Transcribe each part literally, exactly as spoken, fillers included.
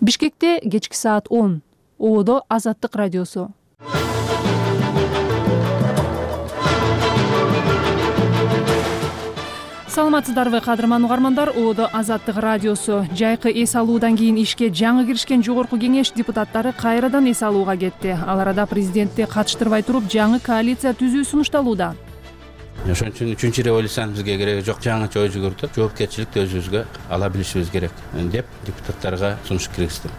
Бишкекте кечки саат он. Ободо Азаттык радиосу. Саламатсыздарбы, кадырман угармандар. Ободо Азаттык радиосу. Жайкы эс алуудан кийин ишке жаңы киришкен жогорку кеңеш депутаттары кайрадан эс алууга кетти. Ал арада президентти катыштырбай туруп жаңы коалиция түзүү сунушталууда. Ошон үчүн үчүнчү революциянын бизге кереги жок, жаңыча ой жүгүртүп, жоопкерчиликти өзүбүзгө ала билишибиз керек деп депутаттарга сунуш киргиздим.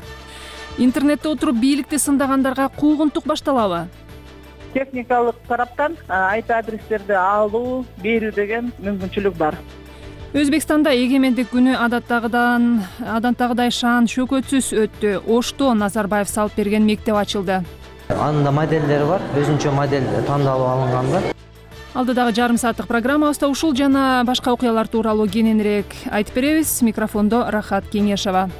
Интернетте отуруп бийликти сындагандарга куугунтук башталабы? Техникалык тараптан ай пи адрестерди алуу, берүү деген мүмкүнчүлүк бар. Өзбекстанда эгемендик күнү адаттагыдан адаттагыдай шаан шөкөтсүз өттү. Ошто Назарбаев салып берген мектеп ачылды. Анын да моделдери бар, өзүнчө модель тандалып алынган. Алдыдагы жарым сааттык программабызда ушул жана башка окуялар тууралуу кененирээк айтып беребиз. Микрофондо Рахат Кеңешова.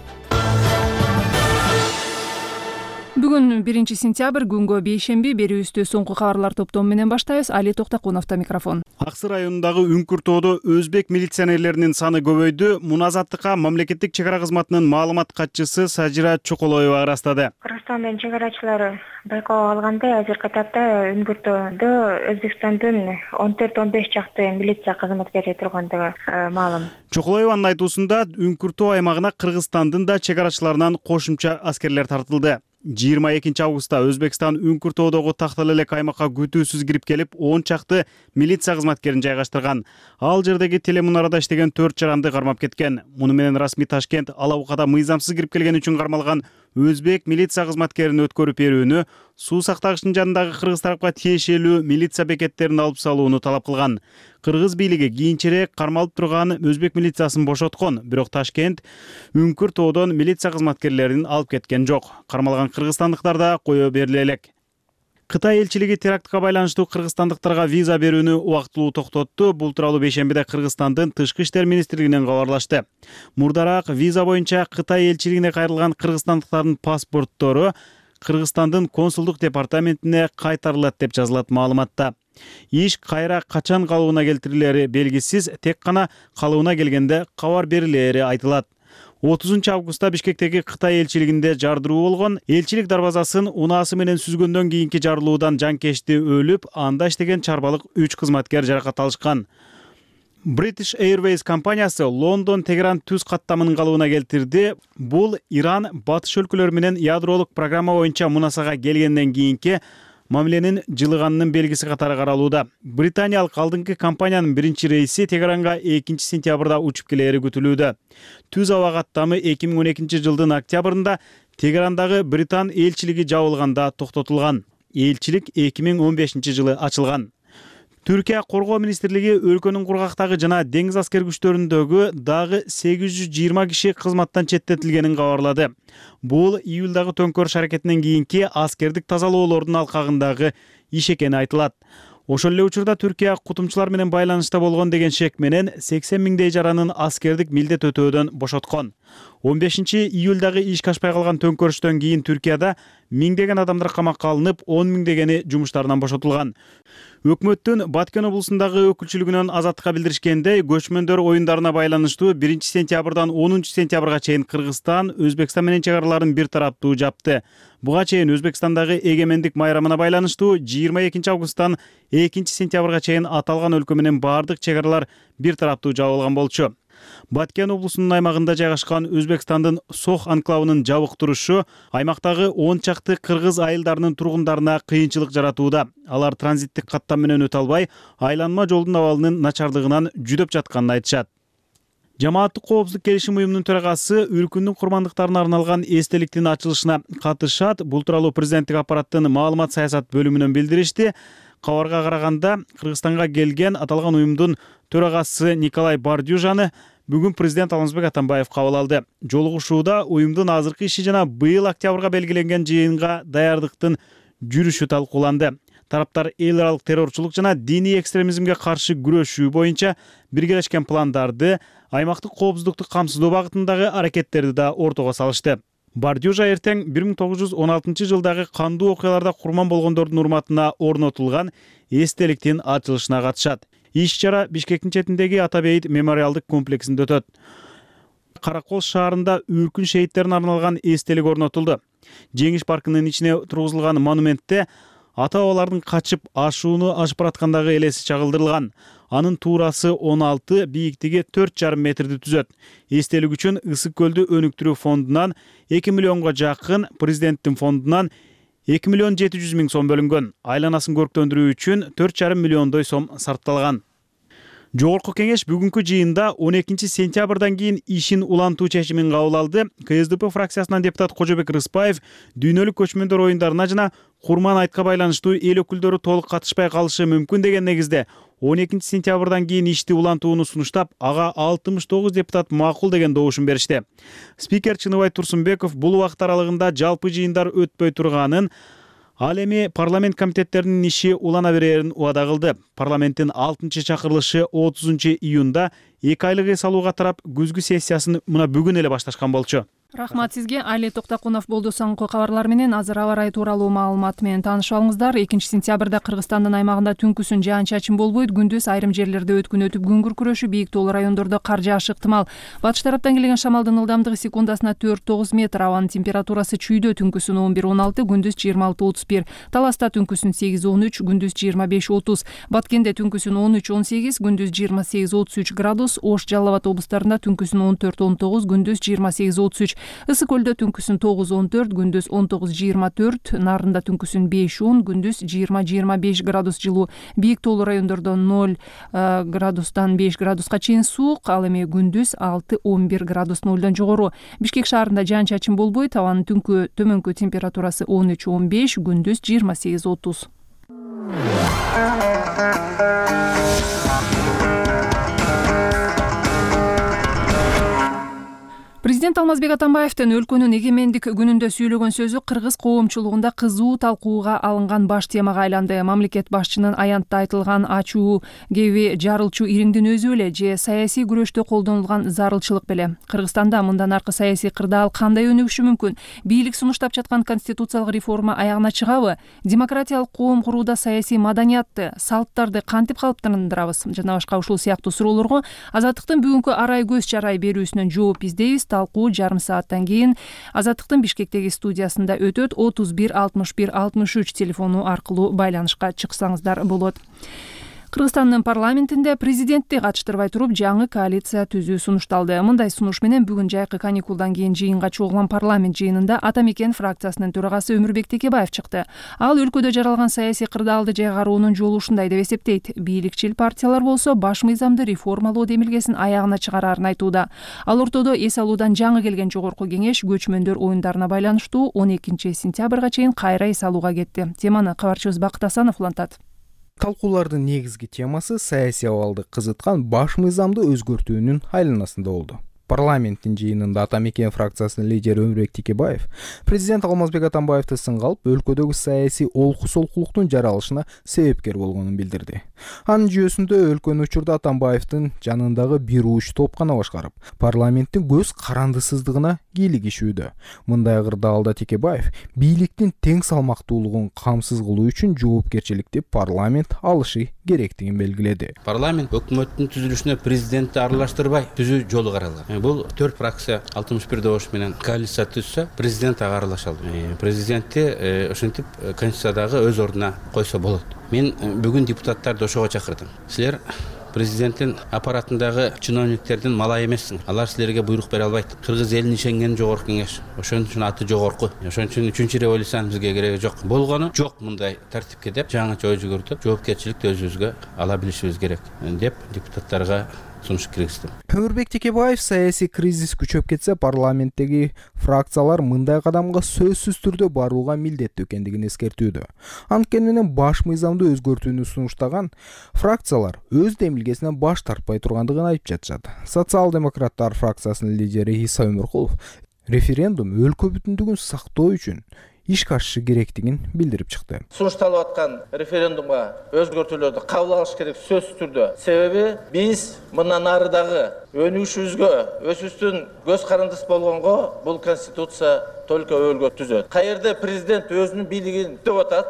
Бүгүн биринчи сентябрь, күнгө бейшемби. Берүүбүздү соңку кабарлар топтому менен баштайбыз. Али Токтокуновдо микрофон. Аксы районундагы Үңкүр тоодо өзбек милиционерлеринин саны көбөйдү. Муназаттыкка мамлекеттик чек ара кызматынын маалымат катчысы Сажира Чоколоева ырастады. Кыргызстандын чек арачылары байкоо алгандай азыркы тапта Үңкүр тоодо Өзбекстандын он төрт он беш чакты милиция кызматкери тургандыгы маалым. Чоколоеванын айтуусунда Үңкүр тоо аймагына Кыргызстандын да чек арачыларынан кошумча аскерлер тартылды. жыйырма экинчи августта Өзбекстан Үңкүр тоодогу тактал элек аймакка күтүүсүз кирип келип, он чакты милиция кызматкерин жайгаштырган. Ал жердеги телемунарада иштеген төрт жаранды кармап кеткен. Муну менен расмий Ташкент Алабукада мыйзамсыз кирип келген үчүн кармалган өзбек милиция кызматкерин өткөрүп берүүнү, суу сактагычтын жанындагы кыргыз тарапка тиешелүү милиция бекеттерин алып салууну талап кылган. Кыргыз бийлиги кийинчерээк кармалып турган өзбек милициясын бошоткон, бирок Ташкент Үңкүр тоодон милиция кызматкерлерин алып кеткен жок. Кармалган кыргызстандыктар да кое бериле элек. Кытай элчилиги терактка байланыштуу кыргызстандыктарга виза берүүнү убактылуу токтотту. Бул тууралуу бейшембиде Кыргызстандын Тышкы иштер министрлигинен кабарлашты. Мурдараак виза боюнча Кытай элчилигине кайрылган кыргызстандыктардын паспорттору Кыргызстандын консулдук департаментине кайтарылат деп жазылат маалыматта. Иш кайра качан калыбына келтирилери белгисиз, тек гана калыбына келгенде кабар берилери айтылат. отузунчу августта Бишкектеги Кытай элчилигинде жардыруу болгон. Элчилик дарбазасын унаасы менен сүзгөндөн кийинки жарылуудан жанкечти өлүп, анда иштеген чарбалык үч кызматкер жаракат алышкан. British Airways компаниясы Лондон Тегеран түз каттамынын калыбына келтирди. Бул Иран батыш өлкөлөр менен ядролук программа боюнча мунасага келгенден кийинки мамиленин жылыганынын белгиси катары каралууда. Британиялык алдыңкы компаниянын биринчи рейси Тегеранга экинчи сентябрда учуп келери күтүлүүдө. Түз аба каттамы эки миң он экинчи жылдын октябрында Тегерандагы Британ элчилиги жабылганда токтотулган. Элчилик эки миң он бешинчи жылы ачылган. Түркия коргоо министрлиги өлкөнүн кургактагы жана деңиз аскер күчтөрүндөгү дагы сегиз жүз жыйырма киши кызматтан четтетилгенин кабарлады. Бул июлдагы төңкөрүш аракетинен кийинки аскердик тазалоолордун алкагындагы иш экени айтылат. Ошол эле учурда Түркия кутумчулар менен байланышта болгон деген шек менен сексен миңдей жаранын аскердик милдет өтөөдөн бошоткон. он бешинчи июлдагы ишке ашпай калган төңкөрүштөн кийин Түркияда миңдеген адамдар камакка алынып, он миңдегени жумуштарынан бошотулган. Өкмөттүн Баткен облусундагы өкүлчүлүгүнөн Азаттыкка билдиришкендей, көчмөндөр оюндарына байланыштуу биринчи сентябрдан онунчу сентябрга чейин Кыргызстан Өзбекстан менен чек араларын бир тараптуу жапты. Буга чейин Өзбекстандагы эгемендик майрамына байланыштуу жыйырма экинчи августтан экинчи сентябрга чейин аталган өлкө менен бардык чек аралар бир тараптуу жабылган болчу. Баткен облусунун аймагында жайгашкан Өзбекстандын Сох анклавынын жабык турушу аймактагы он чакты кыргыз айылдарынын тургундарына кыйынчылык жаратууда. Алар транзиттик каттам менен өтө албай, айланма жолдун абалынын начардыгынан жүдөп жатканын айтышат. Жамааттык коопсуздук келишим уюмунун төрагасы өлкөнүн курмандыктарына арналган эстеликтин ачылышына катышат. Бул тууралуу президенттик аппараттын маалымат саясат бөлүмүнөн билдиришти. Кабарга караганда, Кыргызстанга келген аталган уюмдун төрагасы Николай Бардюжаны бүгүн президент Алмазбек Атамбаев кабыл алды. Жолугушууда уюмдун азыркы иши жана быйыл октябрга белгиленген жыйынга даярдыктын жүрүшү талкууланды. Тараптар эл аралык террорчулук жана диний экстремизмге каршы күрөшүү боюнча биргелешкен пландарды, аймактык коопсуздукту камсыздоо багытындагы аракеттерди да ортого салышты. Бардюжа эртең бир миң тогуз жүз он алтынчы жылдагы кандуу окуяларда курман болгондордун урматына орнотулган эстеликтин ачылышына катышат. Иш чара Бишкектин четиндеги Ата Бейит мемориалдык комплексинде өтөт. Кара Кол шаарында үркүн шейиттерине арналган эстелик орнотулду. Жеңиш паркынын ичине тургузулган монументте ата-бабалардын качып ашууну ашып бараткандагы элеси чагылдырылган. Анын туурасы он алты, бийиктиги төрт жарым метрди түзөт. Эстелик үчүн Ысык көлдү өнүктүрүү фондунан эки миллионго жакын, президенттин фондунан эки миллион жети жүз миң сом бөлүнгөн. Айланасын көрктөндүрүү үчүн төрт жарым миллиондой сом сарпталган. Жогорку кеңеш бүгүнкү жыйында он экинчи сентябрдан кийин ишин улантуу чечимин кабыл алды. КСДП фракциясынан депутат Кожобек Рыспаев дүйнөлүк көчмөндөр оюндарына жана Курман айтка байланыштуу эл өкүлдөрү толук катышпай калышы мүмкүн деген негизде он экинчи сентябрдан кийин ишти улантууну сунуштап, ага алтымыш тогуз депутат макул деген добушун беришти. Спикер Чыныбай Турсунбеков бул убакыт аралыгында жалпы жыйындар өтпөй турганын, ал эми парламент комитеттеринин иши улана берерин убада кылды. Парламенттин алтынчы чакырылышы отузунчу июнда эки айлык эс алууга тарап күзгү сессиясын мына бүгүн эле башташкан болчу. Рахмат сизге. Али Токтокунов болду. Соңку кабарлар менен азыр аба ырайы тууралуу маалымат менен таанышып алыңыздар. экинчи сентябрда Кыргызстандын аймагында түнкүсүн жаан-чачын болбойт. Күндүз айрым жерлерде өткүн өтүп күн күркүрөшү, бийик тоолуу райондордо кар жаашы ыктымал. Батыш тараптан келген шамалдын ылдамдыгы секундасына төрт тогуз метр. Абанын температурасы чүйдө түнкүсүн он бир он алты, күндүз жыйырма алты отуз бир. Таласта түнкүсүн сегиз он үч, күндүз жыйырма беш отуз. Баткенде түнкүсүн он үч он сегиз, күндүз жыйырма сегиз отуз үч градус. Ош, Жалал Абад облустарында түнкүсүн он төрт он тогуз, күндүз жыйырма сегиз отуз үч. Ысык көлдө түнкүсүн тогуз он төрт, күндүз он тогуз жыйырма төрт, Нарында түнкүсүн беш он, күндүз жыйырма жыйырма беш градус жылуу. Бийик тоолуу райондордо ноль градустан беш градуска чейин суук, ал эми күндүз алты он бир градус нолдон жогору. Бишкек шаарында жаан-чачын болбойт, абанын түнкү төмөнкү температурасы он үч он беш, күндүз жыйырма сегиз отуз. Президент Алмазбек Атамбаевдин өлкөнүн эгемендик күнүндө сүйлөгөн сөзү кыргыз коомчулугунда кызуу талкууга алынган баш темага айланды. Мамлекет башчынын аянтта айтылган ачуу кеби жарылчу ириңдин өзү беле же саясий күрөштө колдонулган зарылчылык беле? Кыргызстанда мындан аркы саясий кырдаал кандай өнүгүшү мүмкүн? Бийлик сунуштап жаткан конституциялык реформа аягына чыгабы? Демократиялык коом курууда саясий маданиятты, салттарды кантип калыптандырабыз? Жана башка ушул сыяктуу суроолорго Азаттыктын бүгүнкү арай көз чарай берүүсүнөн жооп издейбиз. Талкуу жарым сааттан кийин Азаттыктын Бишкектеги студиясында өтөт. отуз бир алтымыш бир алтымыш үч телефону аркылуу байланышка чыксаңыздар болот. Кыргызстандын парламентинде президентти катыштырбай туруп жаңы коалиция түзүү сунушталды. Мындай сунуш менен бүгүн жайкы каникулдан кийин жыйынга чогулган парламент жыйынында Ата Мекен фракциясынын төрагасы Өмүрбек Текебаев чыкты. Ал өлкөдө жаралган саясий кырдаалды жайгаруунун жолу ушундай деп эсептейт. Бийликчил партиялар болсо баш мыйзамды реформалоо демилгесин аягына чыгарарын айтууда. Ал ортодо эс алуудан жаңы келген жогорку кеңеш көчмөндөр оюндарына байланыштуу он экинчи сентябрга чейин кайра эс алууга кетти. Теманы кабарчыбыз Бакыт Асанов улантат. Талкуулардын негизги темасы саясий абалды кызыткан баш мыйзамды өзгөртүүнүн айланасында болду. Парламенттин жыйынында Ата Мекен фракциясынын лидери Өмүрбек Текебаев президент Алмазбек Атамбаевди сынга алып, өлкөдөгү саясий олку-солкулуктун жаралышына себепкер болгонун билдирди. Анын жүйөсүндө өлкөнү учурда Атамбаевдин жанындагы бир уч топкана башкарып, парламенттин көз карандысыздыгына кийлигишүүдө. Мындай кырдаалда Текебаев бийликтин тең салмактуулугун камсыз кылуу үчүн жоопкерчиликти парламент алышы керектигин белгиледи. Парламент өкмөттүн түзүлүшүнө президентти аралаштырбай түзүү жолу каралган. Бул төрт фракция алтымыш бир добуш менен коалиция түзсө, президент ага аралаша алды. Президентти ошентип конституциядагы өз ордуна койсо болот. Мен бүгүн депутаттарды ошого чакырдым. Силер президенттин аппаратындагы чиновниктердин малай эмессиң. Алар силерге буйрук бере албайт. Кыргыз элин ишенген жогорку кеңеш. Ошон үчүн аты жогорку. Ошон үчүн үчүнчү революциянын бизге кереги жок. Болгону жок мындай тартипке деп жаңыча ой жүгүртүп, жоопкерчиликти өзүбүзгө ала билишибиз керек деп депутаттарга сунуш киргиздим. Өмүрбек Текебаев саясий кризис күчөп кетсе, парламенттеги фракциялар мындай кадамга сөзсүз түрдө барууга милдеттүү экендигин эскертүүдө. Анткени менен баш мыйзамды өзгөртүүнү сунуштаган фракциялар өз демилгесинен баш тартпай тургандыгын айтып жатышат. Социал-демократтар фракциясынын лидери Иса Өмүркулов референдум өлкө бүтүндүгүн сактоо үчүн ишке ашышы керектигин билдирип чыкты. Сунушталып аткан референдумга өзгөртүүлөрдү кабыл алыш керек сөзсүз түрдө. Себеби биз мындан арыдагы өнүгүшүбүзгө, өзүбүздүн көз карандысы болгонго бул конституция только өлгө түзөт. Каерде президент өзүнүн бийлигин деп атат,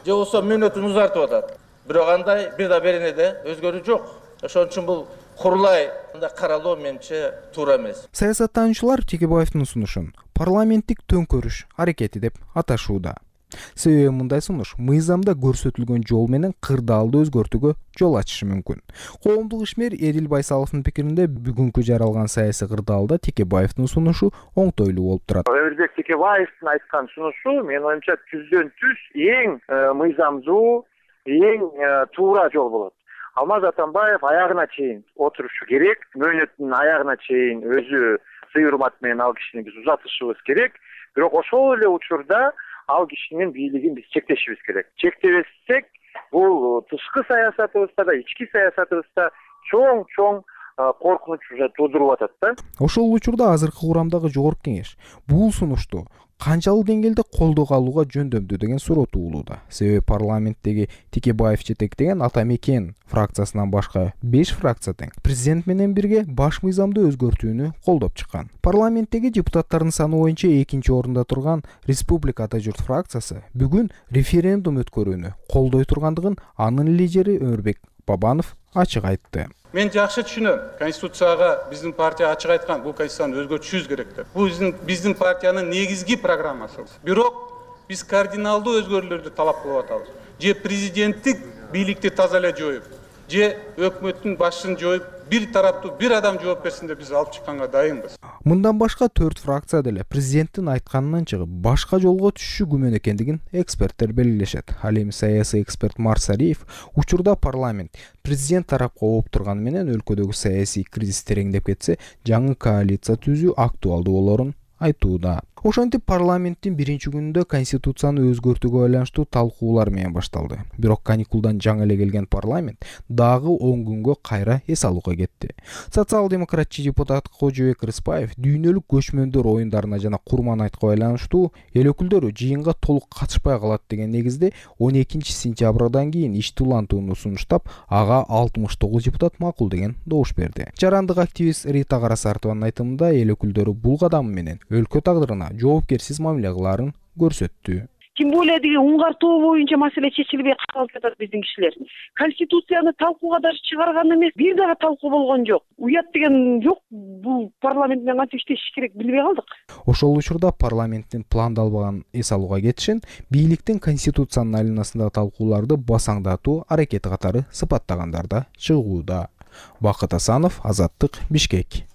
же болсо мөөнөтүн узартып атат. Бирок андай бир да беренеде өзгөрүү жок. Ошон үчүн бул курулай каралоо менимче туура эмес. Саясаттануучулар Текебаевдин сунушун парламенттик төңкөрүш аракети деп аташууда. Себеби мындай сунуш мыйзамда көрсөтүлгөн жол менен кырдаалды өзгөртүүгө жол ачышы мүмкүн. Коомдук ишмер Эдил Байсаловдун пикиринде бүгүнкү жаралган саясий кырдаалда Текебаевдин сунушу оңтойлуу болуп турат. Өмүрбек Текебаевдин айткан сунушу менин оюмча түздөн түз эң мыйзамдуу, эң туура жол болот. Алмаз Атамбаев аягына чейин отурушу керек, мөөнөттүн аягына чейин өзү сый урмат менен ал кишини биз узатышыбыз керек. Бирок ошол эле учурда ал кишинин бийлигин биз чектешибиз керек. Чектебесек, бул тышкы саясатыбызда да, ички саясатыбызда чоң-чоң коркунуч уже туудуруп атат да. Ошол учурда азыркы курамдагы жогорку кеңеш бул сунушту канчалык деңгээлде колдоого алууга жөндөмдүү деген суроо туулууда. Себеби парламенттеги Текебаев жетектеген Ата Мекен фракциясынан башка беш фракция тең президент менен бирге баш мыйзамды өзгөртүүнү колдоп чыккан. Парламенттеги депутаттардын саны боюнча экинчи орунда турган Республика Ата Журт фракциясы бүгүн референдум өткөрүүнү колдой тургандыгын анын лидери Өмүрбек Бабанов ачык айтты. Мен жакшы түшүнөм. Конституцияга биздин партия ачык айткан, бул конституцияны өзгөртүшүбүз керек деп. Бул биздин биздин партиянын негизги программасы. Бирок биз кардиналдуу өзгөрүүлөрдү талап кылып атабыз. Же президенттик бийликти таза эле жоюп, же өкмөттүн башын жоюп, бир тараптуу бир адам жооп берсин деп биз алып чыкканга дайынбыз. Мындан башка төрт фракция деле президенттин айтканынан чыгып башка жолго түшүшү күмөн экендигин эксперттер белгилешет. Ал эми саясий эксперт Марсариев учурда парламент президент тарапка ооп турганы менен өлкөдөгү саясий кризис тереңдеп кетсе, жаңы коалиция түзүү актуалдуу болорун айтууда. Ошентип парламенттин биринчи күнүндө конституцияны өзгөртүүгө байланыштуу талкуулар менен башталды. Бирок каникулдан жаңы эле келген парламент дагы он күнгө кайра эс алууга кетти. Социал-демократчы депутат Кожобек Рыспаев дүйнөлүк көчмөндөр оюндарына жана Курман айтка байланыштуу эл өкүлдөрү жыйынга толук катышпай калат деген негизде он экинчи сентябрдан кийин ишти улантууну сунуштап, ага алтымыш тогуз депутат макул деген добуш берди. Жарандык активист Рита Карасартованын айтымында эл өкүлдөрү бул кадам менен өлкө тагдырына жоопкерсиз мамиле кылаарын көрсөттү. Тем более деген уңгартуу боюнча маселе чечилбей калып жатат биздин кишилер. Конституцияны талкууга даже чыгарган эмес, бир дагы талкуу болгон жок. Уят деген жок, бул парламент менен кантип иштеши керек билбей калдык. Ошол учурда парламенттин пландалбаган эс алууга кетишин бийликтин конституциянын айланасындагы талкууларды басаңдатуу аракети катары сыпаттагандар да чыгууда. Бакыт Асанов, Азаттык, Бишкек.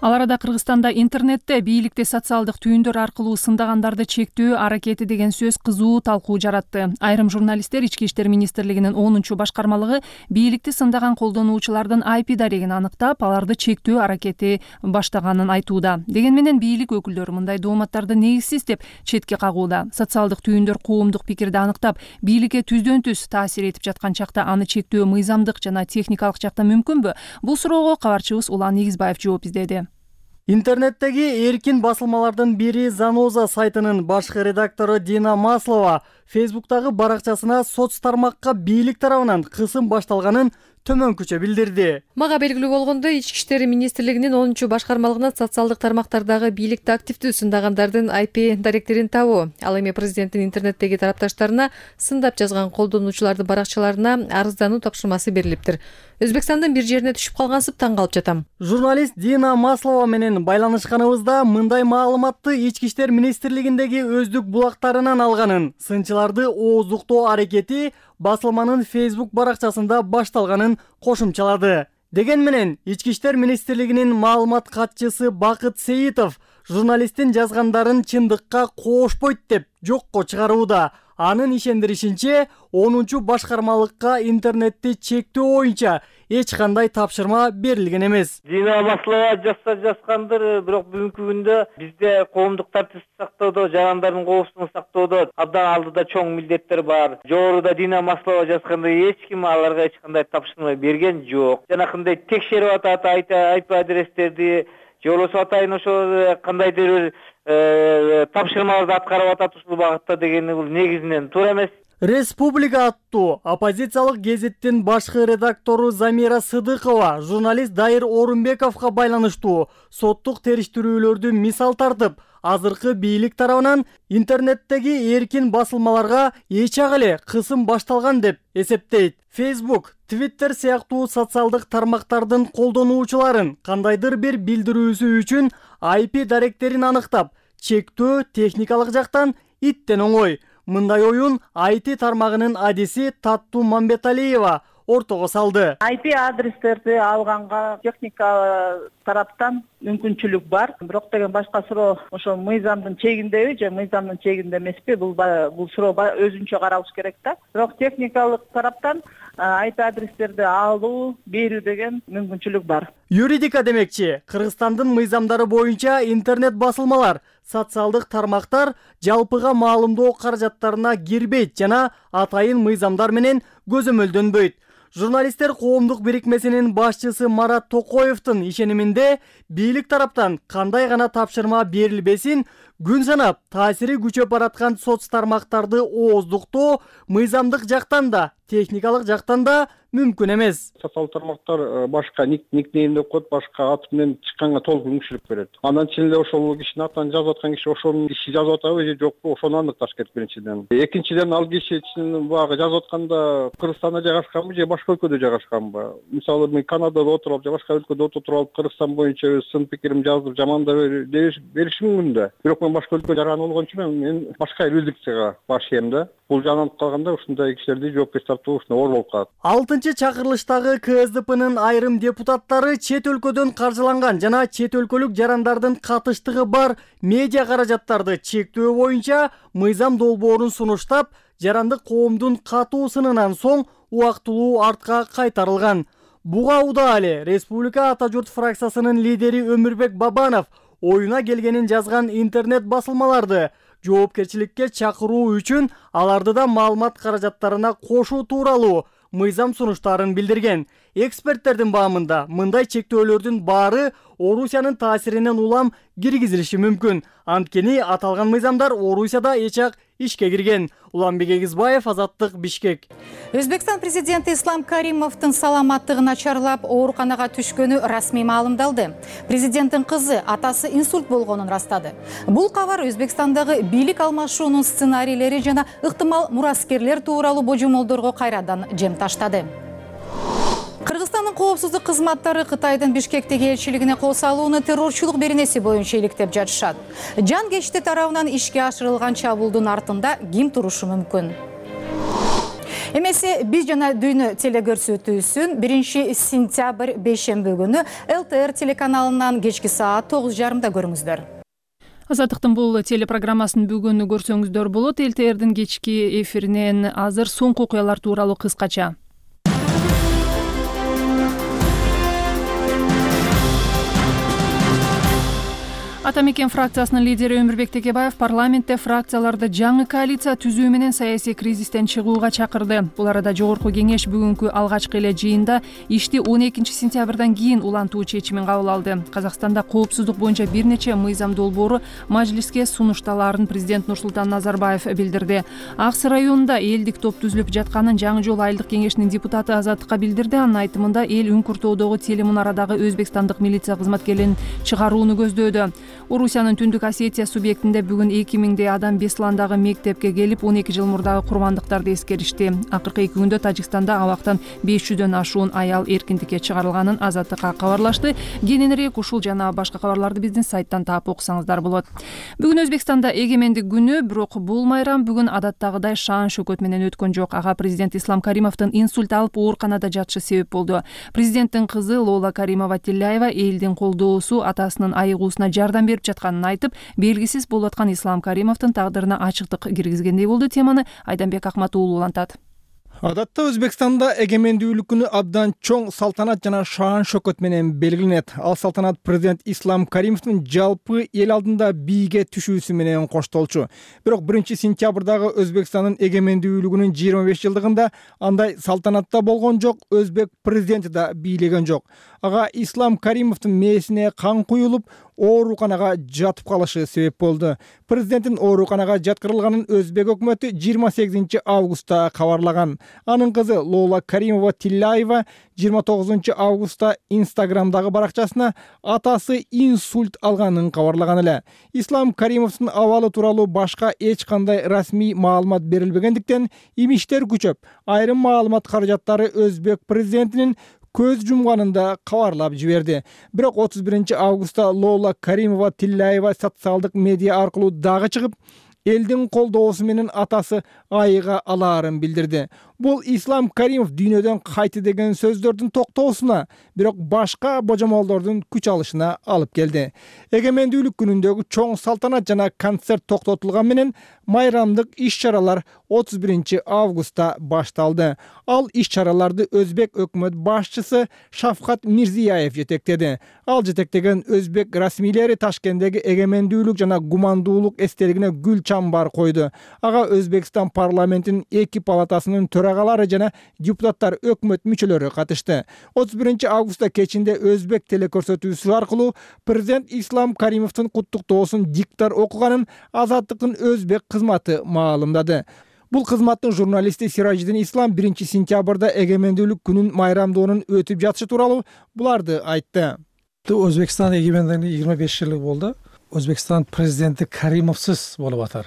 Ал арада Кыргызстанда интернетте бийликти социалдык түйүндөр аркылуу сындагандарды чектөө аракети деген сөз кызуу талкуу жаратты. Айрым журналисттер Ички иштер министрлигинин онунчу башкармалыгы бийликти сындаган колдонуучулардын ай пи дарегин аныктап, аларды чектөө аракети баштаганын айтууда. Деген менен бийлик өкүлдөрү мындай дооматтарды негизсиз деп четке кагууда. Социалдык түйүндөр коомдук пикирди аныктап, бийликке түздөн түз таасир этип жаткан чакта аны чектөө мыйзамдык жана техникалык жактан мүмкүнбү? Бул суроого кабарчыбыз Улан Негизбаев жооп издеди. Интернеттеги эркин басылмалардын бири Заноза сайтынын башкы редактору Дина Маслова Фейсбуктагы баракчасына соц тармакка бийлик тарабынан кысым башталганын төмөнкүчө билдирди. Мага белгилүү болгондой, Ички иштер министрлигинин онунчу башкармалыгына социалдык тармактардагы бийликти активдүү сындагандардын ай пи даректерин табуу, ал эми президенттин интернеттеги тарапташтарына сындап жазган колдонуучулардын баракчаларына арыздануу тапшырмасы берилиптир. Өзбекстандын бир жерине түшүп калгансып таң калып жатам. Журналист Дина Маслова менен байланышканыбызда мындай маалыматты Ички иштер министрлигиндеги өздүк булактарынан алганын, сынчыларды ооздуктоо аракети басылманын Facebook баракчасында башталганын кошумчалады. Деген менен Ички иштер министрлигинин маалымат катчысы Бакыт Сейитов журналисттин жазгандарын чындыкка коошпойт деп жокко чыгарууда. Анын ишендиришинче, онунчу башкармалыкка интернетти чектөө боюнча эч кандай тапшырма берилген эмес. Дина Маслова жазса жазгандыр, бирок бүгүнкү күндө бизде коомдук тартипти сактоодо, жарандардын коопсуздугун сактоодо абдан алдыда чоң милдеттер бар. Жогоруда Дина Маслова жазгандай эч ким аларга эч кандай тапшырма берген жок. Жанакындай текшерип атат ай пи адрестерди, же болбосо атайын ошо кандайдыр бир тапшырмаларды аткарып атат ушул багытта дегени бул негизинен туура эмес. Республика аттуу оппозициялык гезиттин башкы редактору Замира Сыдыкова журналист Дайыр Орунбековго байланыштуу соттук териштирүүлөрдү мисал тартып, азыркы бийлик тарабынан интернеттеги эркин басылмаларга эч ак эле кысым башталган деп эсептейт. Facebook, Twitter сыяктуу социалдык тармактардын колдонуучуларын кандайдыр бир билдирүүсү үчүн ай пи даректерин аныктап, чектөө техникалык жактан иттен оңой. Мындай оюн ай ти тармагынын адиси Таттуу Мамбеталиева ортого салды. ай пи адрестерди алганга техника тараптан мүмкүнчүлүк бар. Бирок деген башка суроо ошо мыйзамдын чегиндеби же мыйзамдын чегинде эмеспи? Бул бул суроо өзүнчө каралыш керек да. Бирок техникалык тараптан ай пи адрестерди алуу, берүү деген мүмкүнчүлүк бар. Юридика демекчи, Кыргызстандын мыйзамдары боюнча интернет басылмалар, социалдык тармактар жалпыга маалымдоо каражаттарына кирбейт жана атайын мыйзамдар менен көзөмөлдөнбөйт. Журналисттер коомдук бирикмесинин башчысы Марат Токоевдун ишениминде бийлик тараптан кандай гана тапшырма берилбесин, күн санап таасири күчөп бараткан соц тармактарды ооздуктоо мыйзамдык жактан да, техникалык жактан да мүмкүн эмес. Социалдык тармактар башка никнейм деп коет, башка ат менен чыкканга толук мүмкүнчүлүк берет. Андан кийин эле ошол кишинин атын жазып аткан киши ошонун иши жазып атабы же жокпу, ошону аныкташ керек биринчиден. Экинчиден, ал кишинин багы жазып атканда Кыргызстанда жайгашканбы же башка өлкөдө жайгашканбы? Мисалы, мен Канадада отуруп же башка өлкөдө отуруп алып Кыргызстан боюнча өз сын пикиримди жазып, жамандап беришим мүмкүн да. Бирок мен башка өлкө жаран болгон үчүн мен башка юрисдикцияга башыйм да. Бул жанан калганда ушундай кишилерди жоопкерчиликке тартуу ушуна оор болуп калат. Алтынчы чакырылыштагы ка эс дэ пэнын айрым депутаттары чет өлкөдөн каржыланган жана чет өлкөлүк жарандардын катыштыгы бар медиа каражаттарды чектөө боюнча мыйзам долбоорун сунуштап, жарандык коомдун катуу сынынан соң убактылуу артка кайтарылган. Буга удаа эле Республика Ата журт фракциясынын лидери Өмүрбек Бабанов оюна келгенин жазган интернет басылмаларды жоопкерчиликке чакыруу үчүн аларды да маалымат каражаттарына кошуу тууралуу мыйзам сунуштарын билдирген. Эксперттердин баамында мындай чектөөлөрдүн баары Орусиянын таасиринен улам киргизилиши мүмкүн. Анткени аталган мыйзамдар Орусияда эчак ишке кирген. Уланбек Эгизбаев, Азаттык, Бишкек. Өзбекстан президенти Ислам Каримовдун саламаттыгы начарлап, ооруканага түшкөнү расмий маалымдалды. Президенттин кызы атасы инсульт болгонун растады. Бул кабар Өзбекстандагы бийлик алмашуунун сценарийлери жана ыктымал мураскерлер тууралуу божомолдорго кайрадан жем таштады. Кыргызстандын коопсуздук кызматтары Кытайдын Бишкектеги элчилигине кол салууну террорчулук беренеси боюнча иликтеп жатышат. Жан кечти тарабынан ишке ашырылган чабуулдун артында ким турушу мүмкүн? Эмесе биз жана дүйнө телекөрсөтүүсүн биринчи сентябрь бейшемби күнү эл тэ эр телеканалынан кечки саат тогуз жарымда көрүңүздөр. Азаттыктын бул телепрограммасын бүгүн көрсөңүздөр болот. эл тэ эрдин кечки эфиринен азыр соңку окуялар тууралуу кыскача. Ата мекен фракциясынын лидери Өмүрбек Текебаев парламентте фракцияларды жаңы коалиция түзүү менен саясий кризистен чыгууга чакырды. Бул арада жогорку кеңеш бүгүнкү алгачкы эле жыйында ишти он экинчи сентябрдан кийин улантуу чечимин кабыл алды. Казакстанда коопсуздук боюнча бир нече мыйзам долбоору мажлиске сунушталаарын президент Нурсултан Назарбаев билдирди. Ак Сый районунда элдик топ түзүлүп жатканын Жаңы жол айылдык кеңешинин депутаты Азаттыкка билдирди. Анын айтымында эл Үңкүртөдөгү телемунарадагы өзбекстандык милиция кызматкерлерин чыгарууну көздөөдү. Орусиянын Түндүк Осетия субъектинде бүгүн эки миңдей адам Бесландагы мектепке келип, он эки жыл мурдагы курмандыктарды эскеришти. Акыркы эки күндө Тажикстанда абактан беш жүздөн ашуун аял эркиндикке чыгарылганын Азаттыкка кабарлашты. Кененирээк ушул жана башка кабарларды биздин сайттан таап окусаңыздар болот. Бүгүн Өзбекстанда эгемендик күнү, бирок бул майрам бүгүн адаттагыдай шаан шөкөт менен өткөн жок. Ага президент Ислам Каримовдун инсульт алып ооруканада жатышы себеп болду. Президенттин кызы Лола Каримова Тилляева элдин колдоосу атасынын айыгуусуна жардам берип жатканын айтып, белгисиз болуп аткан Ислам Каримовдун тагдырына ачыктык киргизгендей болду. Теманы Айданбек Акмат уулу улантат. Адатта Өзбекстанда эгемендүүлүк күнү абдан чоң салтанат жана шаан шөкөт менен белгиленет. Ал салтанат президент Ислам Каримовдун жалпы эл алдында бийге түшүүсү менен коштолчу. Бирок биринчи сентябрдагы Өзбекстандын эгемендүүлүгүнүн жыйырма беш жылдыгында андай салтанатта болгон жок, өзбек президенти да бийлеген жок. Ага Ислам Каримовдун мээсине кан куюлуп, ооруканага жатып калышы себеп болду. Президенттин ооруканага жаткырылганын Өзбек өкмөтү жыйырма сегизинчи августта кабарлаган. Анын кызы Лола Каримова-Тилляева жыйырма тогузунчу августта Инстаграмдагы баракчасына атасы инсульт алганын кабарлаган эле. Ислам Каримовдун абалы тууралуу башка эч кандай расмий маалымат берилбегендиктен имиштер күчөп, айрым маалымат каражаттары Өзбек президентинин көз жумганында кабарлап жиберди. Бирок отуз биринчи августта Лола Каримова-Тилляева социалдык медиа аркылуу дагы чыгып, элдин колдоосу менен атасы айыга алаарын билдирди. Бул Ислам Каримов дүйнөдөн кайты деген сөздөрдүн токтоосуна, бирок башка божомолдордун күч алышына алып келди. Эгемендүүлүк күнүндөгү чоң салтанат жана концерт токтотулган менен майрамдык иш-чаралар отуз биринчи августта башталды. Ал иш-чараларды Өзбек өкмөт башчысы Шавкат Мирзияев жетектеди. Ал жетектеген өзбек расмийлери Ташкенттеги эгемендүүлүк жана гумандуулук эстелигине гүл чамбар койду. Ага Өзбекстан парламентинин эки палатасынын төрагалары жана депутаттар, өкмөт мүчөлөрү катышты. отуз биринчи августта кечинде Өзбек телекөрсөтүүсү аркылуу президент Ислам Каримовдун куттуктоосун диктор окуганын Азаттыктын Өзбек кызматы маалымдады. Бул кызматтын журналисти Сиражидин Ислам биринчи сентябрда эгемендүүлүк күнүн майрамдоонун өтүп жатышы тууралуу буларды айтты. Өзбекстан эгемендүүлүгүнө жыйырма беш жылы болду. Өзбекстан президенти Каримовсуз болуп атар.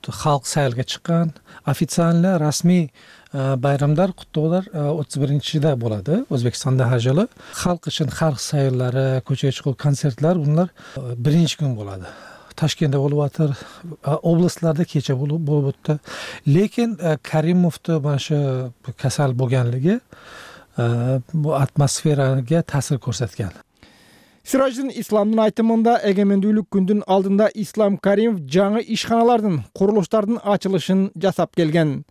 Халк сайлыкка чыккан, официально расмий байрамдар, куттоолор отуз биринчиде болот. Өзбекстанда ар жылы халк үчүн халк сайыллары, көчөгө чыгуу концертлер булар биринчи күн болот. Ташкентте болуп атыр, областларда кече болуп өттү. Лекин Каримовду башы касал болгонлугу бу атмосферага таасир көрсөткөн. Сираждин Исламдын айтымында эгемендүүлүк күндүн алдында Ислам Каримов жаңы ишканалардын, курулуштардын ачылышын жасап келген.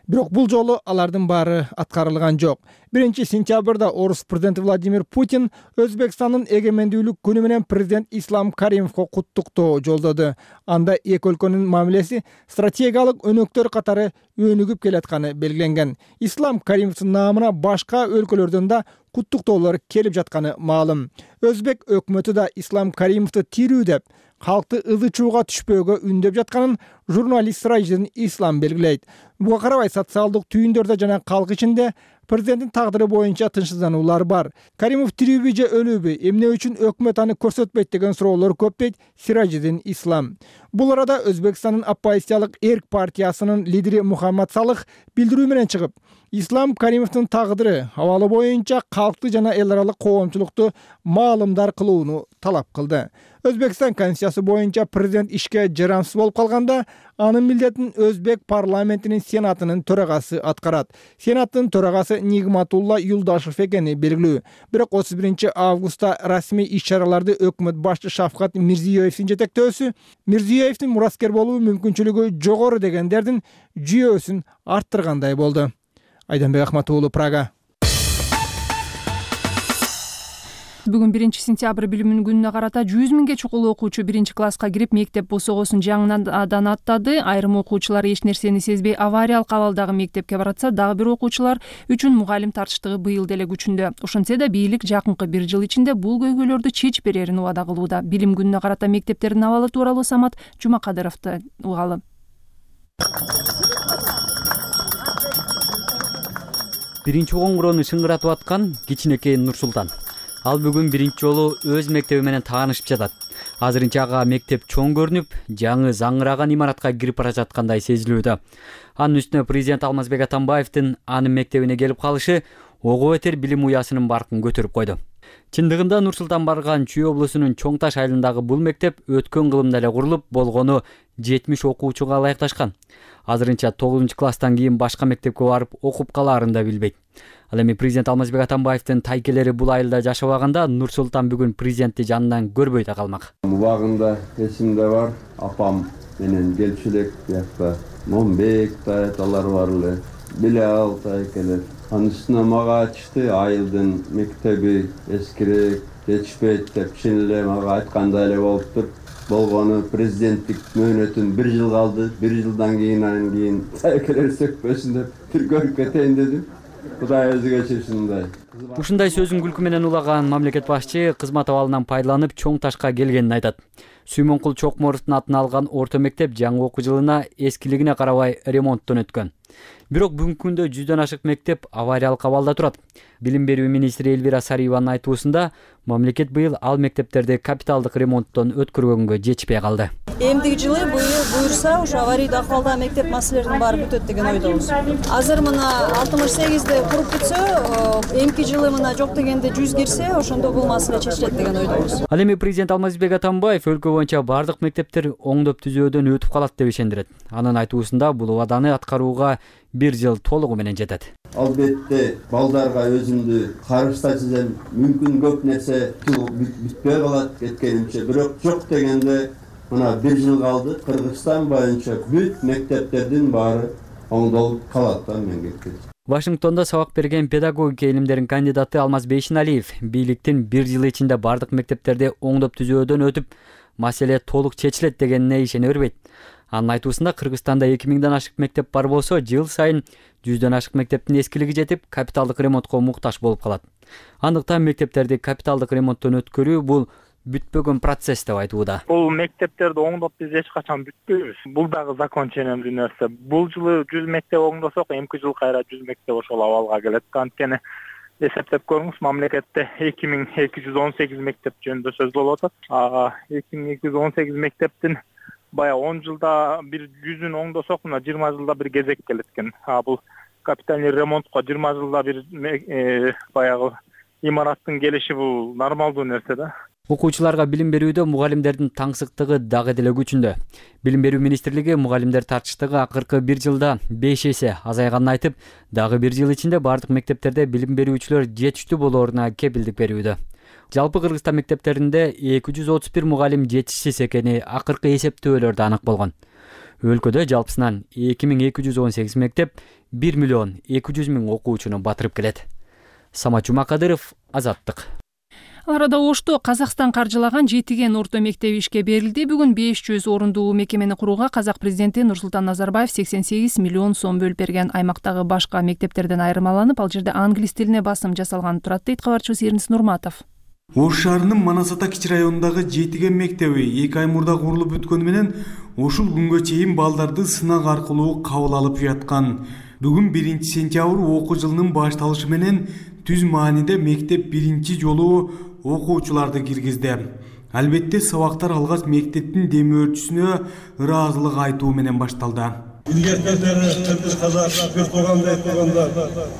Бирок бул жолу алардын баары аткарылган жок. биринчи сентябрда орус президенти Владимир Путин Өзбекстандын эгемендүүлүк күнү менен президент Ислам Каримовго куттуктоо жолдоду. Анда эки өлкөнүн мамилеси стратегиялык өнөктөр катары өнүгүп келатканы белгиленген. Ислам Каримовдун наамына башка өлкөлөрдөн да куттуктоолор келип жатканы маалым. Өзбек өкмөтү да Ислам Каримовду тирүү деп, халкты ызы чууга түшпөөгө үндөп жатканын журналист Сиражидин Ислам белгилейт. Буга карабай социалдык түйүндөрдө жана калк ичинде президенттин тагдыры боюнча тынчсыздануулар бар. Каримов тирүүбү же өлүүбү, эмне үчүн өкмөт аны көрсөтпөйт деген суроолор көп дейт Сиражидин Ислам. Бул арада Өзбекстандын оппозициялык Эрк партиясынын лидери Мухаммад Салых билдирүү менен чыгып, Ислам Каримовдун тагдыры абалы боюнча калкты жана эл аралык коомчулукту маалымдар кылууну талап кылды. Өзбекстан конституциясы боюнча президент ишке жарамсыз болуп калганда, анын милдетин Өзбек парламентинин сенатынын төрагасы аткарат. Сенаттын төрагасы Нигматулла Юлдашев экени белгилүү. Бирок отуз биринчи августта расмий иш-чараларды өкмөт башчы Шавкат Мирзиёевдин жетектөөсү, Мирзиёевдин мураскер болуу мүмкүнчүлүгү жогору дегендердин жүйөсүн арттыргандай болду. Айданбек Ахматов уулу, Прага. Бүгүн биринчи сентябрь билим күнүнө карата жүз миңге чукул окуучу биринчи класска кирип мектеп босогосун жаңыдан аттады. Айрым окуучулар эч нерсени сезбей авариялык абалдагы мектепке баратса, дагы бир окуучулар үчүн мугалим тартыштыгы быйыл деле күчүндө. Ошентсе да бийлик жакынкы бир жыл ичинде бул көйгөйлөрдү чечип берерин убада кылууда. Билим күнүнө карата мектептердин абалы тууралуу Самат Жумакадыровду угалы. Биринчи коңгуроону шыңгыратып аткан кичинекей Нурсултан. Ал бүгүн биринчи жолу өз мектеби менен таанышып жатат. Азырынча ага мектеп чоң көрүнүп, жаңы заңыраган имаратка кирип бара жаткандай сезилүүдө. Анын үстүнө президент Алмазбек Атамбаевдин анын мектебине келип калышы ого бетер билим уясынын баркын көтөрүп койду. Чындыгында Нурсултан барган Чүй облусунун Чоң Таш айылындагы бул мектеп өткөн кылымда эле курулуп, болгону жетимиш окуучуга ылайыкташкан. Азырынча тогузунчу класстан кийин башка мектепке барып окуп калаарын да билбейт. Ал эми президент Алмазбек Атамбаевдин тайкелери бул айылда жашабаганда Нурсултан бүгүн президентти жанынан көрбөй да калмак. Убагында эсимде бар, апам менен келчү элек биякта Момбек тайталар бар эле, биле ал тайкелер. Анын үстүнө мага айтышты, айылдын мектеби эскирек, жетишпейт деп чын эле мага айткандай эле болуптур. Болгону президенттик мөөнөтүн бир жыл калды, бир жылдан кийин анан кийин тайкелер сөкпөсүн деп бир көрүп кетейин дедим. Кудай өзү кечирсин. Ушундай сөзүн күлкү менен улаган мамлекет башчы кызмат абалынан пайдаланып чоң ташка келгенин айтат. Сүймөнкул Чокморовдун атын алган орто мектеп жаңы окуу жылына эскилигине карабай ремонттон өткөн. Бирок бүгүнкү күндө жүздөн ашык мектеп авариялык абалда турат. Билим берүү министри Элвира Сариеванын айтуусунда, мамлекет быйыл ал мектептерди капиталдык ремонттон өткөргөнгө жетишпей калды. Эмдиги жылы буюрса ошо аварийдүү акыбалдагы мектеп маселелеринин баары бүтөт деген ойдобуз. Азыр мына алтымыш сегизде куруп бүтсө, эмки жылы мына жок дегенде жүз кирсе, ошондо бул маселе чечилет деген ойдобуз. Ал эми президент Алмазбек Атамбаев өлкө боюнча бардык мектептер оңдоп түзөөдөн өтүп калат деп ишендирет. Анын айтуусунда бул убаданы аткарууга бир жыл толугу менен жетет. Албетте балдарга өзүмдү карыштатсам мүмкүн көп нерсе бүтпөй калат кеткенимче, бирок жок дегенде мына бир жыл калды. Кыргызстан боюнча бүт мектептердин баары оңдолуп калат да мемлекет. Вашингтондо сабак берген педагогика илимдеринин кандидаты Алмаз Бейшеналиев бийликтин бир жыл ичинде бардык мектептерди оңдоп түзөөдөн өтүп, маселе толук чечилет дегенине ишене бербейт. Анын айтуусунда Кыргызстанда эки миңден ашык мектеп бар болсо, жыл сайын жүздөн ашык мектептин эскилиги жетип, капиталдык ремонтко муктаж болуп калат. Андыктан мектептерди капиталдык ремонттон өткөрүү бул бүтпөгөн процесс деп айтууда. Бул мектептерди оңдоп биз эч качан бүтпөйбүз. Бул дагы закон ченемдүү нерсе. Бул жылы жүз мектеп оңдосок, эмки жыл кайра жүз мектеп ошол абалга келет. Анткени эсептеп көрүңүз, мамлекетте эки миң эки жүз он сегиз мектеп жөнүндө сөз болуп атат. эки миң эки жүз он сегиз мектептин бая он жылда бир жүзүн оңдосок, мына жыйырма жылда бир кезек келет экен. А бул капитальный ремонтко жыйырма жылда бир баягы имараттын келиши бул нормалдуу нерсе да. Окуучуларга билим берүүдө мугалимдердин таңсыктыгы дагы деле күчүндө. Билим берүү министрлиги мугалимдер тартыштыгы акыркы бир жылда беш эсе азайганын айтып, дагы бир жыл ичинде бардык мектептерде билим берүүчүлөр жетиштүү болооруна кепилдик берүүдө. Жалпы Кыргызстан мектептеринде эки жүз отуз бир мугалим жетишсиз экени акыркы эсептөөлөрдө анык болгон. Өлкөдө жалпысынан эки миң эки жүз он сегиз мектеп бир миллион эки жүз миң окуучуну батырып келет. Самат Жумакадыров, Азаттык. Ал арада Ошто Казакстан каржылаган Жетиген орто мектеби ишке берилди. Бүгүн беш жүз орундуу мекемени курууга казак президенти Нурсултан Назарбаев сексен сегиз миллион сом бөлүп берген. Аймактагы башка мектептерден айырмаланып, ал жерде англис тилине басым жасалган турат, дейт кабарчыбыз Эрнис Нурматов. Ош шаарынын Манас-Ата кичи районундагы Жетиген мектеби эки ай мурда курулуп бүткөнү менен ушул күнгө чейин балдарды сынак аркылуу кабыл алып жаткан. Бүгүн биринчи сентябрь окуу жылынын башталышы менен түз мааниде мектеп биринчи жолу окуучуларды киргизди. Албетте сабактар алгач мектептин демөөрчүсүнө ыраазылык айтуу менен башталды. Илгеркелери Кыргыз казак бир тууганда айтканда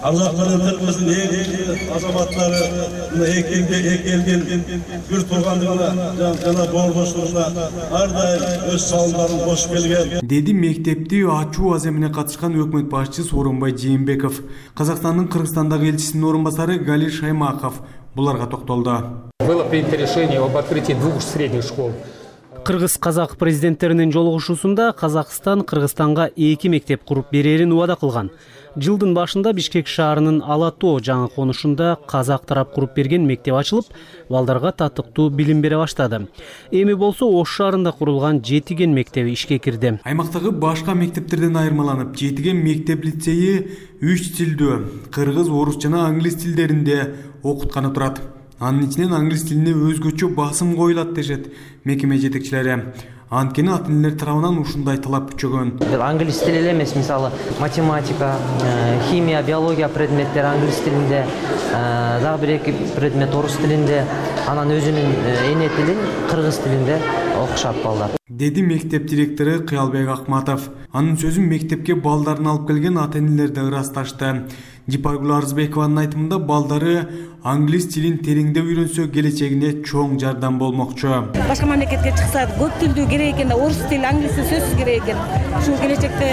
Аллахтын Кыргыздын эң азаматтары экелге экелген бир туугандыгына жана боордоштугуна ар дайым өз салымдарын кошуп келген. Деди мектепти ачуу аземине катышкан өкмөт башчысы Сооронбай Жээнбеков. Казакстандын Кыргызстандагы элчисинин орун басары Галир Шаймаков буларга токтолду. Было принято решение об открытии двух средних школ. Кыргыз-казак президенттеринин жолугушуусунда Казакстан Кыргызстанга эки мектеп куруп берерин убада кылган. Жылдын башында Бишкек шаарынын Ала-Тоо жаңы конушунда казак тарап куруп берген мектеп ачылып, балдарга татыктуу билим бере баштады. Эми болсо Ош шаарында курулган Жетиген мектеби ишке кирди. Аймактагы башка мектептерден айырмаланып, Жетиген мектеп лицейи үч тилдүү, кыргыз, орус жана англис тилдеринде окутканы турат. Анын ичинен англис тилине өзгөчө басым коюлат дешет мекеме жетекчилери. Анткени ата-энелер тарабынан ушундай талап күчөгөн. Англис тили эле эмес, мисалы математика, химия, биология предметтери англис тилинде, дагы бир эки предмет орус тилинде, анан өзүнүн эне тилин кыргыз тилинде окушат балдар. Деди мектеп директору Кыялбек Акматов. Анын сөзүн мектепке балдарын алып келген ата-энелер да ырасташты. Жипаргүл Арзбекованын айтымында балдары англис тилин тереңдеп үйрөнсө келечегине чоң жардам болмокчу. Башка мамлекетке чыкса көп тилдүү керек экен да, орус тили, англис тили сөзсүз керек экен. Ушул келечекте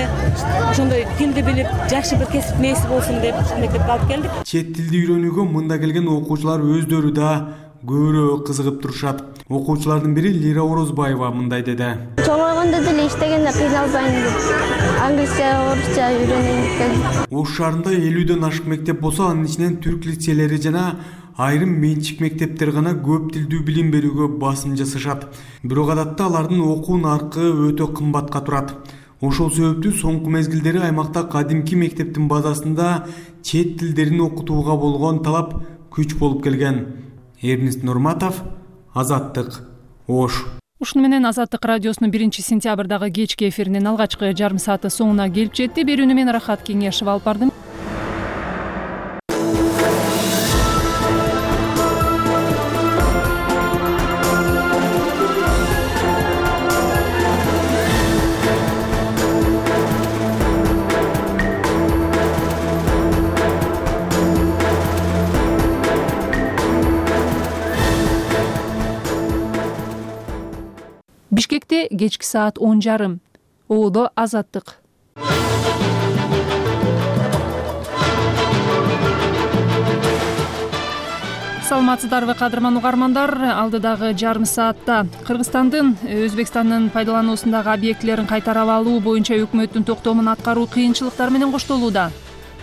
ошондой тилди билип, жакшы бир кесип мээси болсун деп мектепке алып келдик. Чет тилди үйрөнүүгө мында келген окуучулар өздөрү да көбүрөөк кызыгып турушат. Окуучулардын бири Лира Орозбаева мындай деди. Чоңойгондо деле иштегенде кыйналбайм деп англисче, орусча үйрөнөйүн деп келдим. Ош шаарында элүүдөн ашык мектеп болсо, анын ичинен түрк лицейлери жана айрым менчик мектептер гана көп тилдүү билим берүүгө басым жасашат. Бирок адатта алардын окуу наркы өтө кымбатка турат. Ошол себептүү соңку мезгилдери аймакта кадимки мектептин базасында чет тилдерин окутууга болгон талап күч болуп келген. Эрнест Нурматов, Азаттык, Ош. Ушуну менен Азаттык радиосунун биринчи сентябрдагы кечки эфиринин алгачкы жарым сааты соңуна келип жетти. Берүүнү мен Рахат Кеңешов алып бардым. Бишкекте кечки саат он жарым. Оодо Азаттык. Саламатсыздарбы кадырман угармандар? Алдыдагы жарым саатта Кыргызстандын Өзбекстандын пайдалануусундагы объектилерин кайтарып алуу боюнча өкмөттүн токтомун аткаруу кыйынчылыктар менен коштолууда.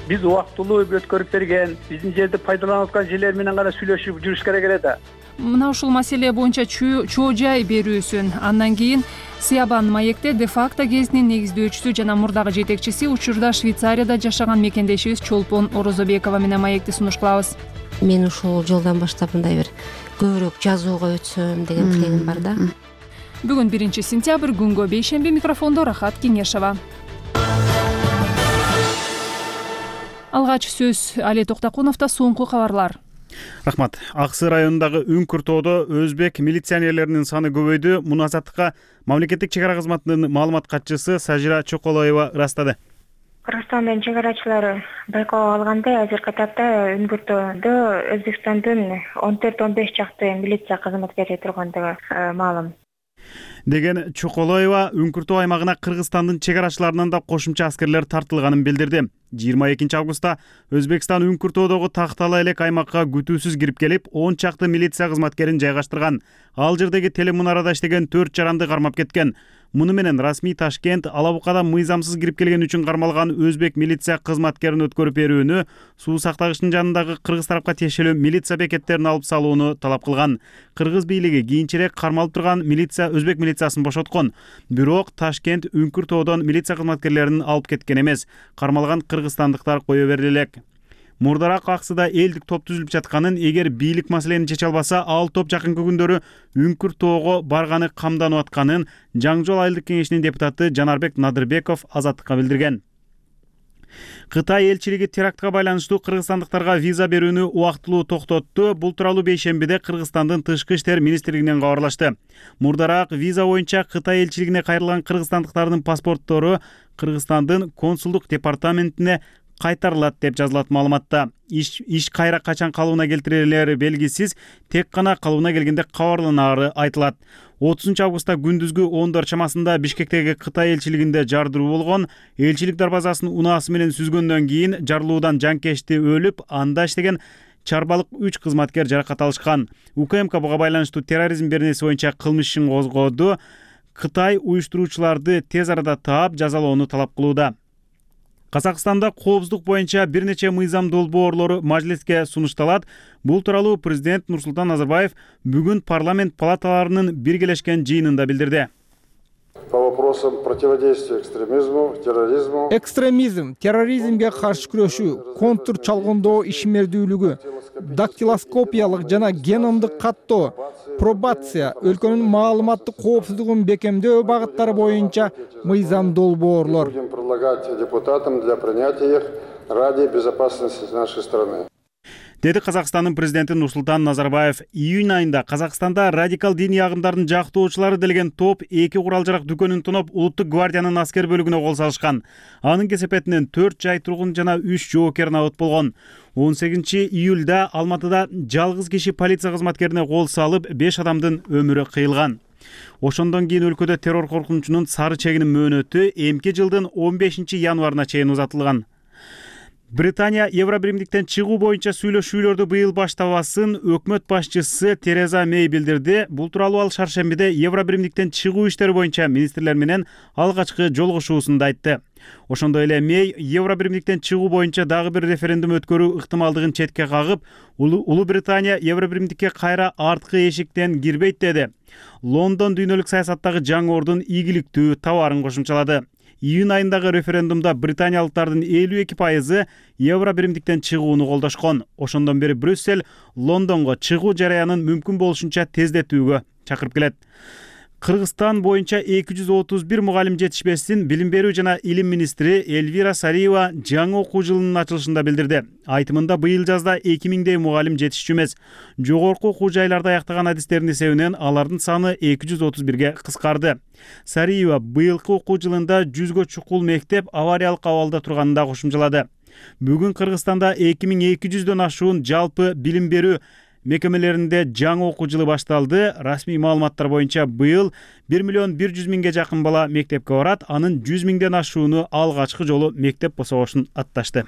Биз убактылуу өткөрүп берген, биздин жерди пайдаланып аткан жерлер менен гана сүйлөшүп жүрүш керек эле да. Мына ушул маселе боюнча чоо жай берүүсүн, андан кийин Сиябан маекте де-факто гезитинин негиздөөчүсү жана мурдагы жетекчиси, учурда Швейцарияда жашаган мекендешибиз Чолпон Орозобекова менен маекти сунуш кылабыз. Мен ушул жолдон баштап мындай бир көбүрөөк жазууга өтсөм деген тилегим бар да. Бүгүн биринчи сентябрь, күнгө бейшемби. Микрофондо Рахат Кеңешова. Алгач сөз Али Токтокуновдо. Соңку кабарлар. Рахмат. Аксы районундагы Үңкүр тоодо өзбек милиционерлеринин саны көбөйдү. Муну Азаттыкка мамлекеттик чек ара кызматынын маалымат катчысы Сажира Чоколоева ырастады. Кыргызстандын чек арачылары байкоо алгандай азыркы тапта Үңкүр тоодо Өзбекстандын он төрт он беш чакты милиция кызматкери тургандыгы маалым деген Чоколоева Үңкүр тоо аймагына Кыргызстандын чек арачыларынан да кошумча аскерлер тартылганын билдирди. жыйырма экинчи августта Өзбекстан Үңкүр тоодогу Тактала элек аймакка күтүүсүз кирип келип, он чакты милиция кызматкерин жайгаштырган. Ал жердеги телемунарада иштеген төрт жаранды кармап кеткен. Муну менен расмий Ташкент Ала Букада мыйзамсыз кирип келген үчүн кармалган өзбек милиция кызматкерин өткөрүп берүүнү, суу сактагычтын жанындагы кыргыз тарапка тиешелүү милиция бекеттерин алып салууну талап кылган. Кыргыз бийлиги кийинчерээк кармалып турган милиция өзбек милициясын бошоткон. Бирок Ташкент Үңкүр тоодон милиция кызматкерлерин алып кеткен эмес. Кармалган кыргызстандыктар кое берди элек. Мурдараак Аксыда элдик топ түзүлүп жатканын, эгер бийлик маселени чече албаса, ал топ жакынкы күндөрү Үңкүр тоого барганы камданып атканын Жаңы жол айылдык кеңешинин депутаты Жанарбек Надырбеков Азаттыкка билдирген. Кытай элчилиги терактка байланыштуу кыргызстандыктарга виза берүүнү убактылуу токтотту. Бул тууралуу бейшембиде Кыргызстандын тышкы иштер министрлигинен кабарлашты. Мурдараак виза боюнча Кытай элчилигине кайрылган кыргызстандыктардын паспорттору Кыргызстандын консулдук департаментине кайтарылат деп жазылат маалыматта. Иш, иш кайра качан калыбына келтирилери белгисиз, тек гана калыбына келгенде кабарланаары айтылат. отузунчу августта күндүзгү ондор чамасында Бишкектеги Кытай элчилигинде жардыруу болгон. Элчилик дарбазасын унаасы менен сүзгөндөн кийин жардыруудан жанкечти өлүп, анда иштеген чарбалык үч кызматкер жаракат алышкан. УКМК буга байланыштуу терроризм беренеси боюнча кылмыш ишин козгоду. Кытай уюштуруучуларды тез арада таап, жазалоону талап кылууда. Казакстанда коопсуздук боюнча бир нече мыйзам долбоорлору мажлиске сунушталат. Бул тууралуу президент Нурсултан Назарбаев бүгүн парламент палаталарынын биргелешкен жыйынында билдирди. По вопросам противодействия экстремизму, терроризму. Экстремизм, терроризмге каршы күрөшүү, контур чалгындоо ишмердүүлүгү, дактилоскопиялык жана геномдук каттоо, пробация, өлкөнүн маалыматтык коопсуздугун бекемдөө багыттары боюнча мыйзам долбоорлор. Будем предлагать депутатам для принятия их ради безопасности нашей страны. Деди Казакстандын президенти Нурсултан Назарбаев. Июнь айында Казакстанда радикал диний агымдардын жактоочулары делген топ эки курал жарак дүкөнүн тоноп Улуттук гвардиянын аскер бөлүгүнө кол салышкан. Анын кесепетинен төрт жай тургун жана үч жоокер набыт болгон. он сегизинчи июлда Алматыда жалгыз киши полиция кызматкерине кол салып, беш адамдын өмүрү кыйылган. Ошондон кийин өлкөдө террор коркунучунун сары чегинин мөөнөтү эмки жылдын он бешинчи январына чейин узатылган. Британия Евробиримдиктен чыгуу боюнча сүйлөшүүлөрдү быйыл баштабасын өкмөт башчысы Тереза Мэй билдирди. Бул тууралуу ал шаршембиде Евробиримдиктен чыгуу иштери боюнча министрлер менен алгачкы жолугушуусунда айтты. Ошондой эле Мэй Евробиримдиктен чыгуу боюнча дагы бир референдум өткөрүү ыктымалдыгын четке кагып, Улуу Британия Евробиримдикке кайра арткы эшиктен кирбейт деди. Лондон дүйнөлүк саясаттагы жаңы ордун ийгиликтүү табаарын кошумчалады. Июнь айындагы референдумда британиялыктардын элүү эки пайызы евро биримдиктен чыгууну колдошкон. Ошондон бери Брюссель Лондонго чыгуу жараянын мүмкүн болушунча тездетүүгө чакырып келет. Кыргызстан боюнча эки жүз отуз бир мугалим жетишпестин билим берүү жана илим министри Эльвира Сариева жаңы окуу жылынын ачылышында билдирди. Айтымында быйыл жазда эки миңдей мугалим жетишчү эмес. Жогорку окуу жайларда аяктаган адистердин эсебинен алардын саны эки жүз отуз бирге кыскарды. Сариева быйылкы окуу жылында жүзгө чукул мектеп авариялык абалда турганын да кошумчалады. Бүгүн Кыргызстанда эки миң эки жүздөн ашуун жалпы билим берүү мекемелеринде жаңы окуу жылы башталды. Расмий маалыматтар боюнча быйыл бир миллион бир жүз миңге жакын бала мектепке барат. Анын жүз миңден ашууну алгачкы жолу мектеп босогошун атташты.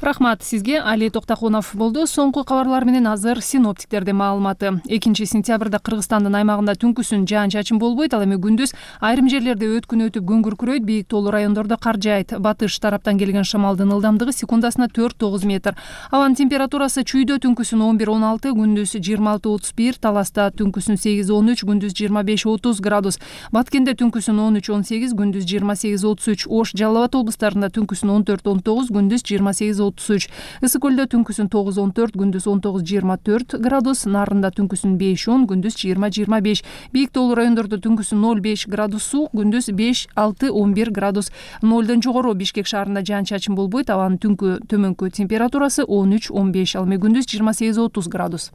Рахмат сизге. Али Токтакунов болду. Соңку кабарлар менен азыр синоптиктердин маалыматы. экинчи сентябрда Кыргызстандын аймагында түнкүсүн жаан-чачын болбойт, ал эми күндүз айрым жерлерде өткүн өтүп күн күркүрөйт, бийик тоолуу райондордо кар жаайт. Батыш тараптан келген шамалдын ылдамдыгы секундасына төрт тогуз метр. Абанын температурасы чүйдө түнкүсүн он бир он алты, күндүз жыйырма алты отуз бир, Таласта түнкүсүн сегиз он үч, күндүз жыйырма беш отуз градус. Баткенде түнкүсүн он үч он сегиз, күндүз жыйырма сегиз отуз үч. Ош, Жалал Абад облустарында түнкүсүн он төрт он тогуз, күндүз жыйырма сегиз отуз үч. Ысык көлдө түнкүсүн тогуз он төрт, күндүз он тогуз жыйырма төрт градус. Нарында түнкүсүн беш он, күндүз жыйырма жыйырма беш. Бийик тоолуу райондордо түнкүсүн ноль беш градус суук, күндүз беш алты он бир градус. Нолдон жогору Бишкек шаарында жаан-чачын болбойт, абанын түнкү төмөнкү температурасы он үч он беш, ал эми күндүз жыйырма сегиз отуз градус.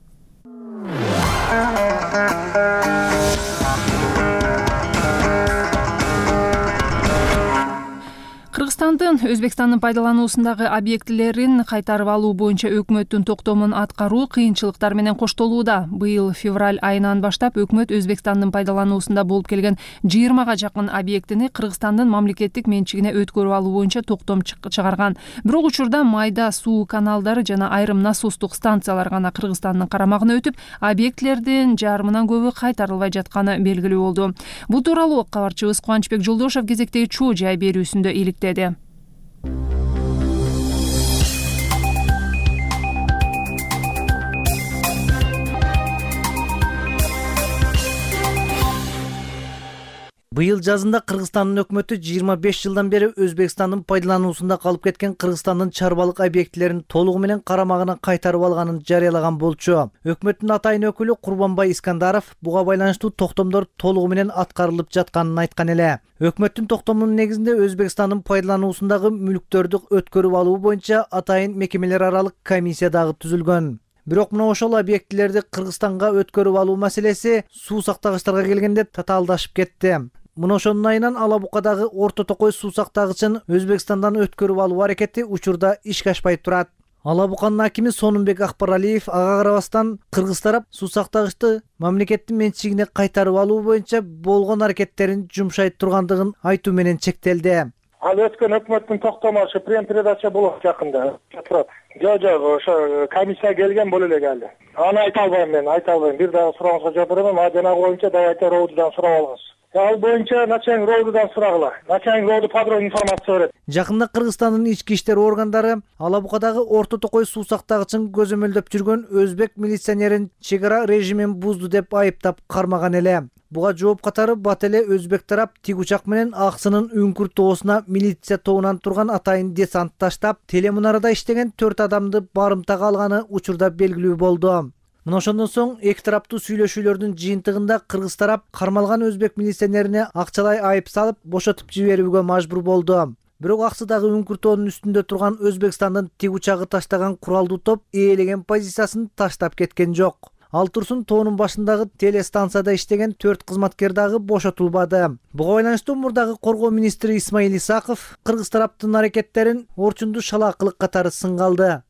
Кыргызстандын Өзбекстандын пайдалануусундагы объектилерин кайтарып алуу боюнча өкмөттүн токтомун аткаруу кыйынчылыктар менен коштолууда. Быйыл февраль айынан баштап өкмөт Өзбекстандын пайдалануусунда болуп келген жыйырмага жакын объектини Кыргызстандын мамлекеттик менчигине өткөрүп алуу боюнча токтом чыгарган. Бирок учурда майда суу каналдары жана айрым насостук станциялар гана Кыргызстандын карамагына өтүп, объектилердин жарымынан көбү кайтарылбай жатканы белгилүү болду. Бул тууралуу кабарчыбыз Кубанычбек Жолдошов кезектеги чоо жай берүүсүндө иликтеди. Быйыл жазында Кыргызстандын өкмөтү жыйырма беш жылдан бери Өзбекстандын пайдалануусунда калып кеткен Кыргызстандын чарбалык объектилерин толугу менен карамагына кайтарып алганын жарыялаган болчу. Өкмөттүн атайын өкүлү Курбанбай Искандаров буга байланыштуу токтомдор толугу менен аткарылып жатканын айткан эле. Өкмөттүн токтомунун негизинде Өзбекстандын пайдалануусундагы мүлктөрдү өткөрүп алуу боюнча атайын мекемелер аралык комиссия дагы түзүлгөн. Бирок мына ошол объектилерди Кыргызстанга өткөрүп алуу маселеси суу сактагычтарга келгенде татаалдашып кетти. Мына ошонун айынан Ала Букадагы Орто Токой суу сактагычын Өзбекстандан өткөрүп алуу аракети учурда ишке ашпай турат. Ала Буканын акими Сонунбек Акбаралиев ага карабастан Кыргыз тарап суу сактагычты мамлекеттин менчигине кайтарып алуу боюнча болгон аракеттерин жумшай тургандыгын айтуу менен чектелди. Ал өткөн өкмөттүн токтому ошо прем-передача болот жакында. Турат. Жок, жок, ошо комиссия келген боло элек али. Аны айта албайм мен, айта албайм. Бир дагы сурооңузга жооп берем, а жанагы боюнча дагы роодудан сурап алгыз. Ал боюнча начальник роодудан сурагыла. Начальник рооду подробный информация берет. Жакында Кыргызстандын ички иштер органдары Ала Букадагы Орто Токой суу сактагычын көзөмөлдөп жүргөн өзбек милиционерин чек ара режимин бузду деп айыптап кармаган эле. Буга жооп катары бат эле өзбек тарап тик учак менен Аксынын үңкүр тоосуна милиция тобунан турган атайын десант таштап, телемунарада иштеген төрт адамды барымтага алганы учурда белгилүү болду. Мына ошондон соң эки тараптуу сүйлөшүүлөрдүн жыйынтыгында Кыргыз тарап кармалган өзбек милиционерине акчалай айып салып, бошотуп жиберүүгө мажбур болду. Бирок Аксыдагы үңкүр тоонун үстүндө турган Өзбекстандын тик учагы таштаган куралдуу топ ээлеген позициясын таштап кеткен жок. Ал турсун тоонун башындагы телестанцияда иштеген төрт кызматкер дагы бошотулбады. Буга байланыштуу мурдагы коргоо министри Исмаил Исаков Кыргыз тараптын аракеттерин орчунду шалаакылык катары сынга алды.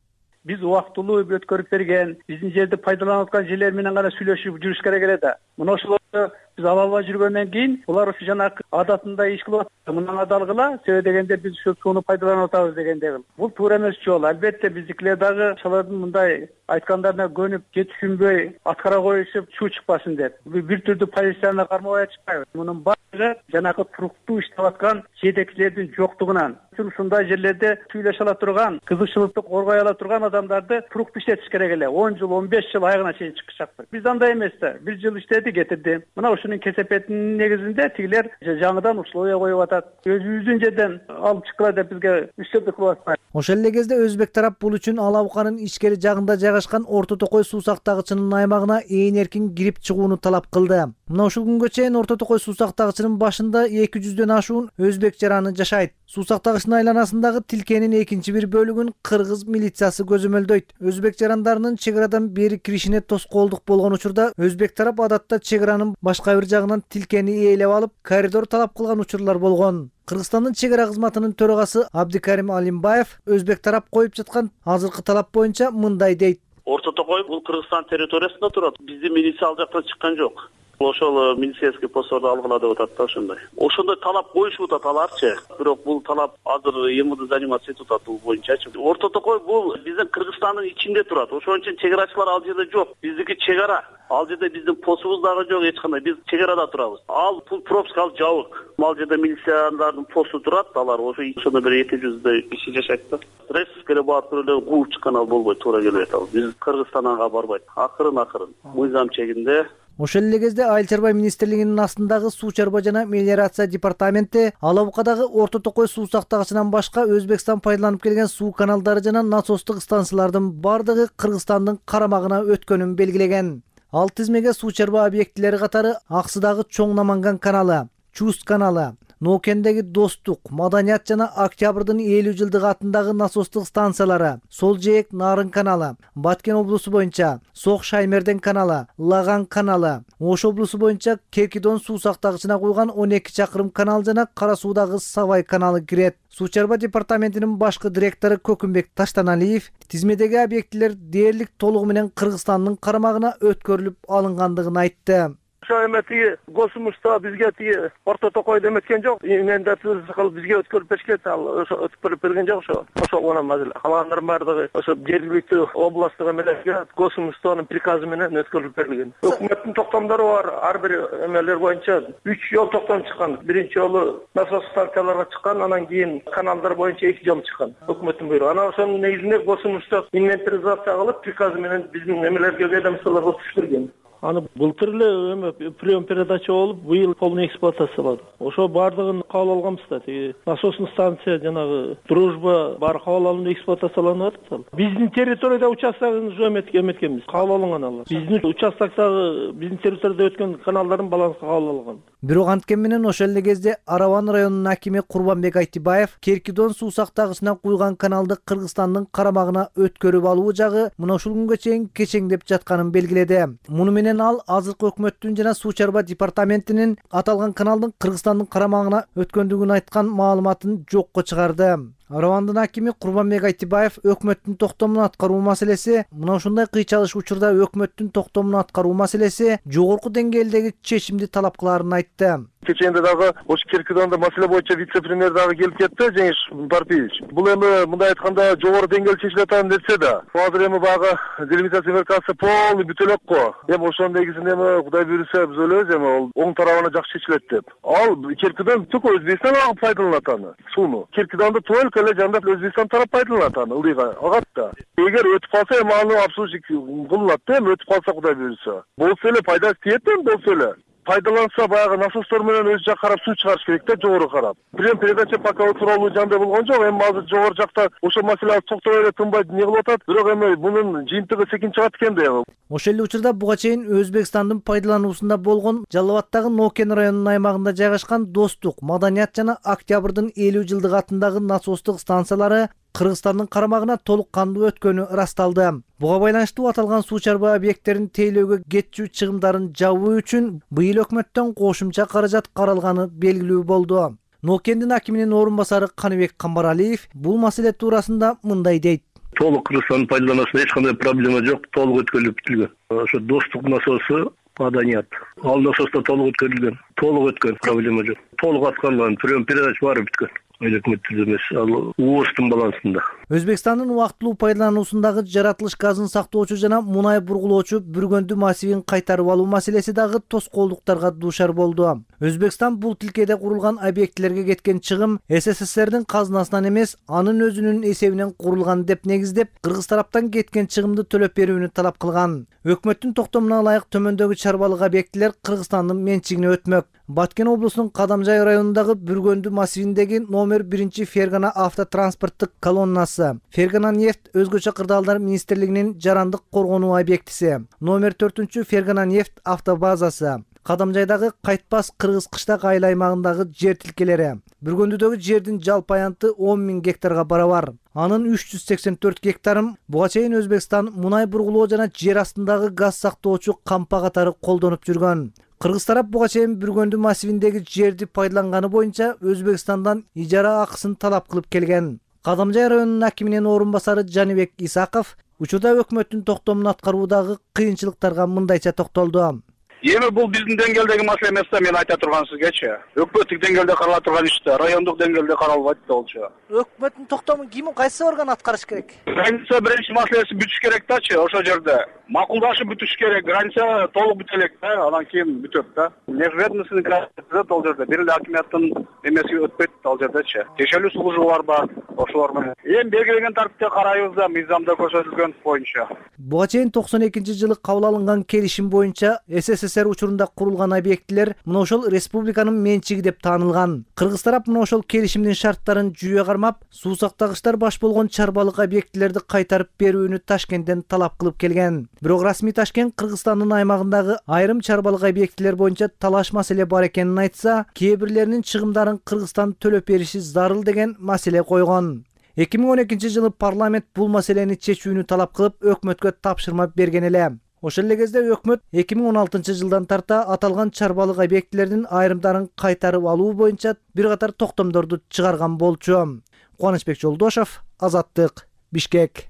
Биз убактылуу өткөрүп берген, биздин жерди пайдаланып аткан жерлер менен гана сүйлөшүп жүрүш керек эле да. Мына ошолорду биз ала албай жүргөндөн кийин булар ушу жанагы адатында иш кылып атат. Мындан адалгыла, себеби дегенде биз ушул сууну пайдаланып атабыз дегенде. Бул туура эмес жол. Албетте биздикилер дагы ошолордун мындай айткандарына көнүп, жетишинбөй аткара коюшуп, чуу чыкпасын деп. Бир түрдүү позицияны кармабай чыкпайбыз. Мунун баары жанагы туруктуу иштеп аткан жетекчилердин жоктугунан. Ушундай жерлерде сүйлөшө ала турган, кызыкчылыкты коргой ала турган адамдарды туруктуу иштетиш керек эле. он жыл, он беш жыл айыгына чейин чыкышаптыр. Биз андай эмес да. Бир жыл иштеди, кетирди. мына ушунун кесепетинин негизинде тигилер жаңыдан условия коюп атат. Өзүбүздүн жерден алып чыккыла деп бизге үстөмдүк кылып атпайбы? Ошол эле кезде өзбек тарап бул үчүн Ала Буканын ичкери жагында жайгашкан Орто Токой суу сактагычынын аймагына ээн эркин кирип чыгууну талап кылды. Мына ушул күнгө чейин Орто Токой суу сактагычынын башында эки жүздөн ашуун өзбек жараны жашайт. Суу сактагычтын айланасындагы тилкенин экинчи бир бөлүгүн кыргыз милициясы көзөмөлдөйт. Өзбек жарандарынын чек арадан бери киришине тоскоолдук болгон учурда өзбек тарап адатта чек аранын башка бир жагынан тилкени ээлеп алып, коридор талап кылган учурлар болгон. Кыргызстандын чек ара кызматынын төрагасы Абдикарим Алимбаев өзбек тарап коюп жаткан азыркы талап боюнча мындай дейт. Орто Токой бул Кыргызстан территориясында турат. Биздин милиция ал жактан чыккан жок. Ошол милицейский постторду алгыла деп атат да ошондой. Ошондой талап коюшуп атат аларчы. Бирок бул талап азыр МВД заниматься этип атат бул боюнчачы. Орто Токой бул биздин Кыргызстандын ичинде турат. Ошон үчүн чек арачылар ал жерде жок. Биздики чек ара. Ал жерде биздин постубуз дагы жок эч кандай. Биз чек арада турабыз. Ал бул пропуска ал жабык. Ал жерде милициялардын посту турат. Алар ошо ошондо бир эки жүздөй киши жашайт да. Республикага барып эле кууп чыккан ал болбойт, туура келбейт ал. Биз Кыргызстанга барбайт. Акырын акырын мыйзам чегинде. Ошол эле кезде Айыл чарба министрлигинин астындагы суу чарба жана мелиорация департаменти Ала Букадагы Орто Токой суу сактагычынан башка Өзбекстан пайдаланып келген суу каналдары жана насостук станциялардын бардыгы Кыргызстандын карамагына өткөнүн белгилеген. Ал тизмеге суу чарба объектилери катары Аксыдагы Чоң Наманган каналы, Чуст каналы, Ноокендеги Достук, Маданият жана Октябрдын элүү жылдыгы атындагы насостук станциялары, Сол Жээк Нарын каналы, Баткен облусу боюнча Сок Шаймерден каналы, Лаган каналы, Ош облусу боюнча Кекидон суу сактагычына куйган он эки чакырым канал жана Кара Суудагы Савай каналы кирет. Суу чарба департаментинин башкы директору Көкүмбек Таштаналиев тизмедеги объектилер дээрлик толугу менен Кыргызстандын карамагына өткөрүлүп алынгандыгын айтты. Ошо эме тиги Госмушта бизге тиги Орто Токой деметкен жок. Мендатыбыз кылып бизге өткөрүп беришкен, ал ошо өткөрүп берген жок ошо. Ошо гана мазил. Калгандардын баардыгы ошо жергиликтүү областтык эмелерге Госмуштанын приказы менен өткөрүлүп берилген. Өкмөттүн токтомдору бар. Ар бир эмелер боюнча үч жол токтом чыккан. Биринчи жолу насос станцияларга чыккан, анан кийин каналдар боюнча эки жол чыккан. Өкмөттүн буйругу. Анан ошонун негизинде Госмушта инвентаризация кылып приказы менен биздин эмелерге ведомстволорго түшүргөн. Аны былтыр эле эме прием передача болуп, быйыл полный эксплуатациялады. Ошо бардыгын кабыл алганбыз да. Тиги насосный станция жанагы Дружба баары кабыл алынып эксплуатацияланып атат. Биздин территорияда участогун уже эметкенбиз. Кабыл алынган алар. Биздин участокдагы биздин территорияда өткөн каналдардын балансы кабыл алынган. Бирок анткени менен ошол эле кезде Араван районунун акими Курбанбек Айтибаев Керкидон суу сактагычына куйган каналды Кыргызстандын карамагына өткөрүп алуу жагы мына ушул күнгө чейин кечеңдеп жатканын белгиледи. Муну менен ал азыркы өкмөттүн жана суу чарба департаментинин аталган каналдын Кыргызстандын карамагына өткөндүгүн айткан маалыматын жокко чыгарды. Аравандын акими Курбанбек Айтибаев өкмөттүн токтомун аткаруу маселеси, мына ушундай кыйчалыш учурда өкмөттүн токтомун аткаруу маселеси жогорку деңгээлдеги чечимди талап кыларын айтты. Кеченде дагы ош Киркидонда маселе боюнча вице-премьер дагы келип кетти, Жеңиш Барпиевич. Бул эми мындай айтканда жогору деңгээл чечилип атат десе да, азыр эми багы делимитация меркасы полный бүтө элек го. Эми ошонун негизинде эми Кудай буйруса биз ойлойбуз эми ол оң тарабына жакшы чечилет деп. Ал Киркидон түк Өзбекстан агып пайдаланат аны, сууну. Киркидонду только эле жандап Өзбекстан тарап пайдаланат аны, ылдыйга агат да. Эгер өтүп калса эми аны обслуживать кылынат да, эми өтүп калса Кудай буйруса. Болсо эле пайдасы тиет эми болсо эле. Пайдаланса баягы насостор менен өз жак карап суу чыгарыш керек да, жогору карап. Прием передача пока тууралуу жандай болгон жок. Эми азыр жогору жакта ошол маселе токтобой эле тынбай не кылып атат. Бирок эми мунун жыйынтыгы секин чыгат экен да. Ошол эле учурда буга чейин Өзбекстандын пайдалануусунда болгон Жалал Абаддагы Нокен районунун аймагында жайгашкан Достук, Маданият жана Октябрдын элүү жылдыгы атындагы насостук станциялары Кыргызстандын карамагына толук кандуу өткөнү ырасталды. Буга байланыштуу аталган суу чарба объекттерин тейлөөгө кетчү чыгымдарын жабуу үчүн быйыл өкмөттөн кошумча каражат каралганы белгилүү болду. Нокендин акиминин орун басары Каныбек Камбаралиев бул маселе туурасында мындай дейт. Толук Кыргызстандын пайдалануусунда эч кандай проблема жок, толук өткөрүлүп бүтүлгөн. Ошо Достук насосу, Маданият. Ал насоста толук өткөрүлгөн, толук өткөн, проблема жок. Толук аткарылган, прием передач баары бүткөн. Өкмөттүн эмес, ал УОСтун балансында. Өзбекстандын убактылуу пайдалануусундагы жаратылыш газын сактоочу жана мунай бургулоочу Бүргөндү массивин кайтарып алуу маселеси дагы тоскоолдуктарга дуушар болду. Өзбекстан бул тилкеде курулган объектилерге кеткен чыгым СССРдин казынасынан эмес, анын өзүнүн эсебинен курулган деп негиздеп, кыргыз тараптан кеткен чыгымды төлөп берүүнү талап кылган. Өкмөттүн токтомуна ылайык төмөндөгү чарбалык объектилер Кыргызстандын менчигине өтмөк. Баткен облусунун Кадамжай районундагы Бүргөндү массивиндеги номер биринчи Фергана автотранспорттук колоннасы, Фергана нефть өзгөчө кырдаалдар министрлигинин жарандык коргонуу объектиси, номер төртүнчү Фергана нефть автобазасы, Кадамжайдагы Кайтпас кыргыз кыштак айыл аймагындагы жер тилкелери. Бүргөндүдөгү жердин жалпы аянты он миң гектарга барабар. Анын үч жүз сексен төрт гектарын буга чейин Өзбекстан мунай бургулоо жана жер астындагы газ сактоочу кампа катары колдонуп жүргөн. Кыргыз тарап буга чейин Бүргөндү массивиндеги жерди пайдаланганы боюнча Өзбекстандан ижара акысын талап кылып келген. Кадамжай районунун акиминин орун басары Жаныбек Исаков учурда өкмөттүн токтомун аткаруудагы кыйынчылыктарга мындайча токтолду. Эми бул биздин деңгээлдеги маселе эмес да, мен айта турган сизгечи. Өкмөттүк деңгээлде карала турган иш да, райондук деңгээлде каралбайт да болчу. Өкмөттүн токтомун ким, кайсы орган аткарыш керек? Граница биринчи маселеси бүтүш керек дачы, ошол жерде. Макулдашып бүтүш керек, граница толук бүтө элек да, анан кийин бүтөт да. Нефть границасы ал жерде, бир эле акиматтын эмеси өтпөйт ал жердечи. Текшерүү службу бар ба, ошолор менен. Эми белгиленген тартипте карайбыз да, мыйзамда көрсөтүлгөн боюнча. Буга чейин токсон экинчи жылы кабыл алынган келишим боюнча СССР учурунда курулган объектилер мына ошол республиканын менчиги деп таанылган. Кыргыз тарап мына ошол келишимдин шарттарын жүйө кармап, суу сактагычтар баш болгон чарбалык объектилерди кайтарып берүүнү Ташкенттен талап кылып келген. Бирок расмий Ташкент Кыргызстандын аймагындагы айрым чарбалык объектилер боюнча талаш маселе бар экенин айтса, кээ бирлеринин чыгымдарын Кыргызстан төлөп бериши зарыл деген маселе койгон. эки миң он экинчи жылы парламент бул маселени чечүүнү талап кылып, өкмөткө тапшырма берген эле. Ошол эле кезде өкмөт эки миң он алтынчы жылдан тарта аталган чарбалык объектилердин айрымдарын кайтарып алуу боюнча бир катар токтомдорду чыгарган болчу. Кубанычбек Жолдошов, Азаттык, Бишкек.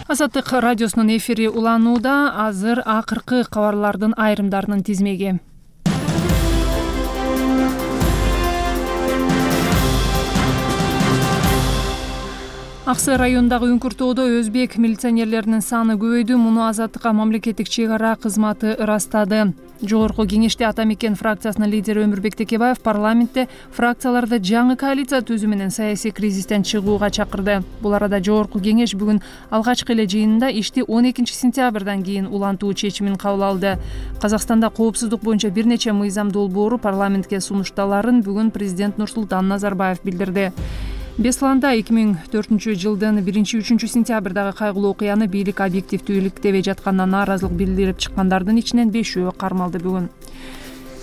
Азаттык радиосунун эфири уланууда. Азыр акыркы кабарлардын айрымдарынын тизмеги. Аксы районундагы Үңкүртөөдө өзбек милиционерлеринин саны көбөйдү. Муну Азаттыкка мамлекеттик чек ара кызматы ырастады. Жогорку кеңеште Ата Мекен фракциясынын лидери Өмүрбек Текебаев парламентте фракцияларды жаңы коалиция түзүү менен саясий кризистен чыгууга чакырды. Бул арада Жогорку кеңеш бүгүн алгачкы эле жыйынында ишти он экинчи сентябрдан кийин улантуу чечимин кабыл алды. Казакстанда коопсуздук боюнча бир нече мыйзам долбоору парламентке сунушталарын бүгүн президент Нурсултан Назарбаев билдирди. Бесланда эки миң төртүнчү жылдын биринчи үчүнчү сентябрдагы кайгылуу окуяны бийлик объективдүү иликтебей жатканына нааразылык билдирип чыккандардын ичинен бешөө кармалды бүгүн.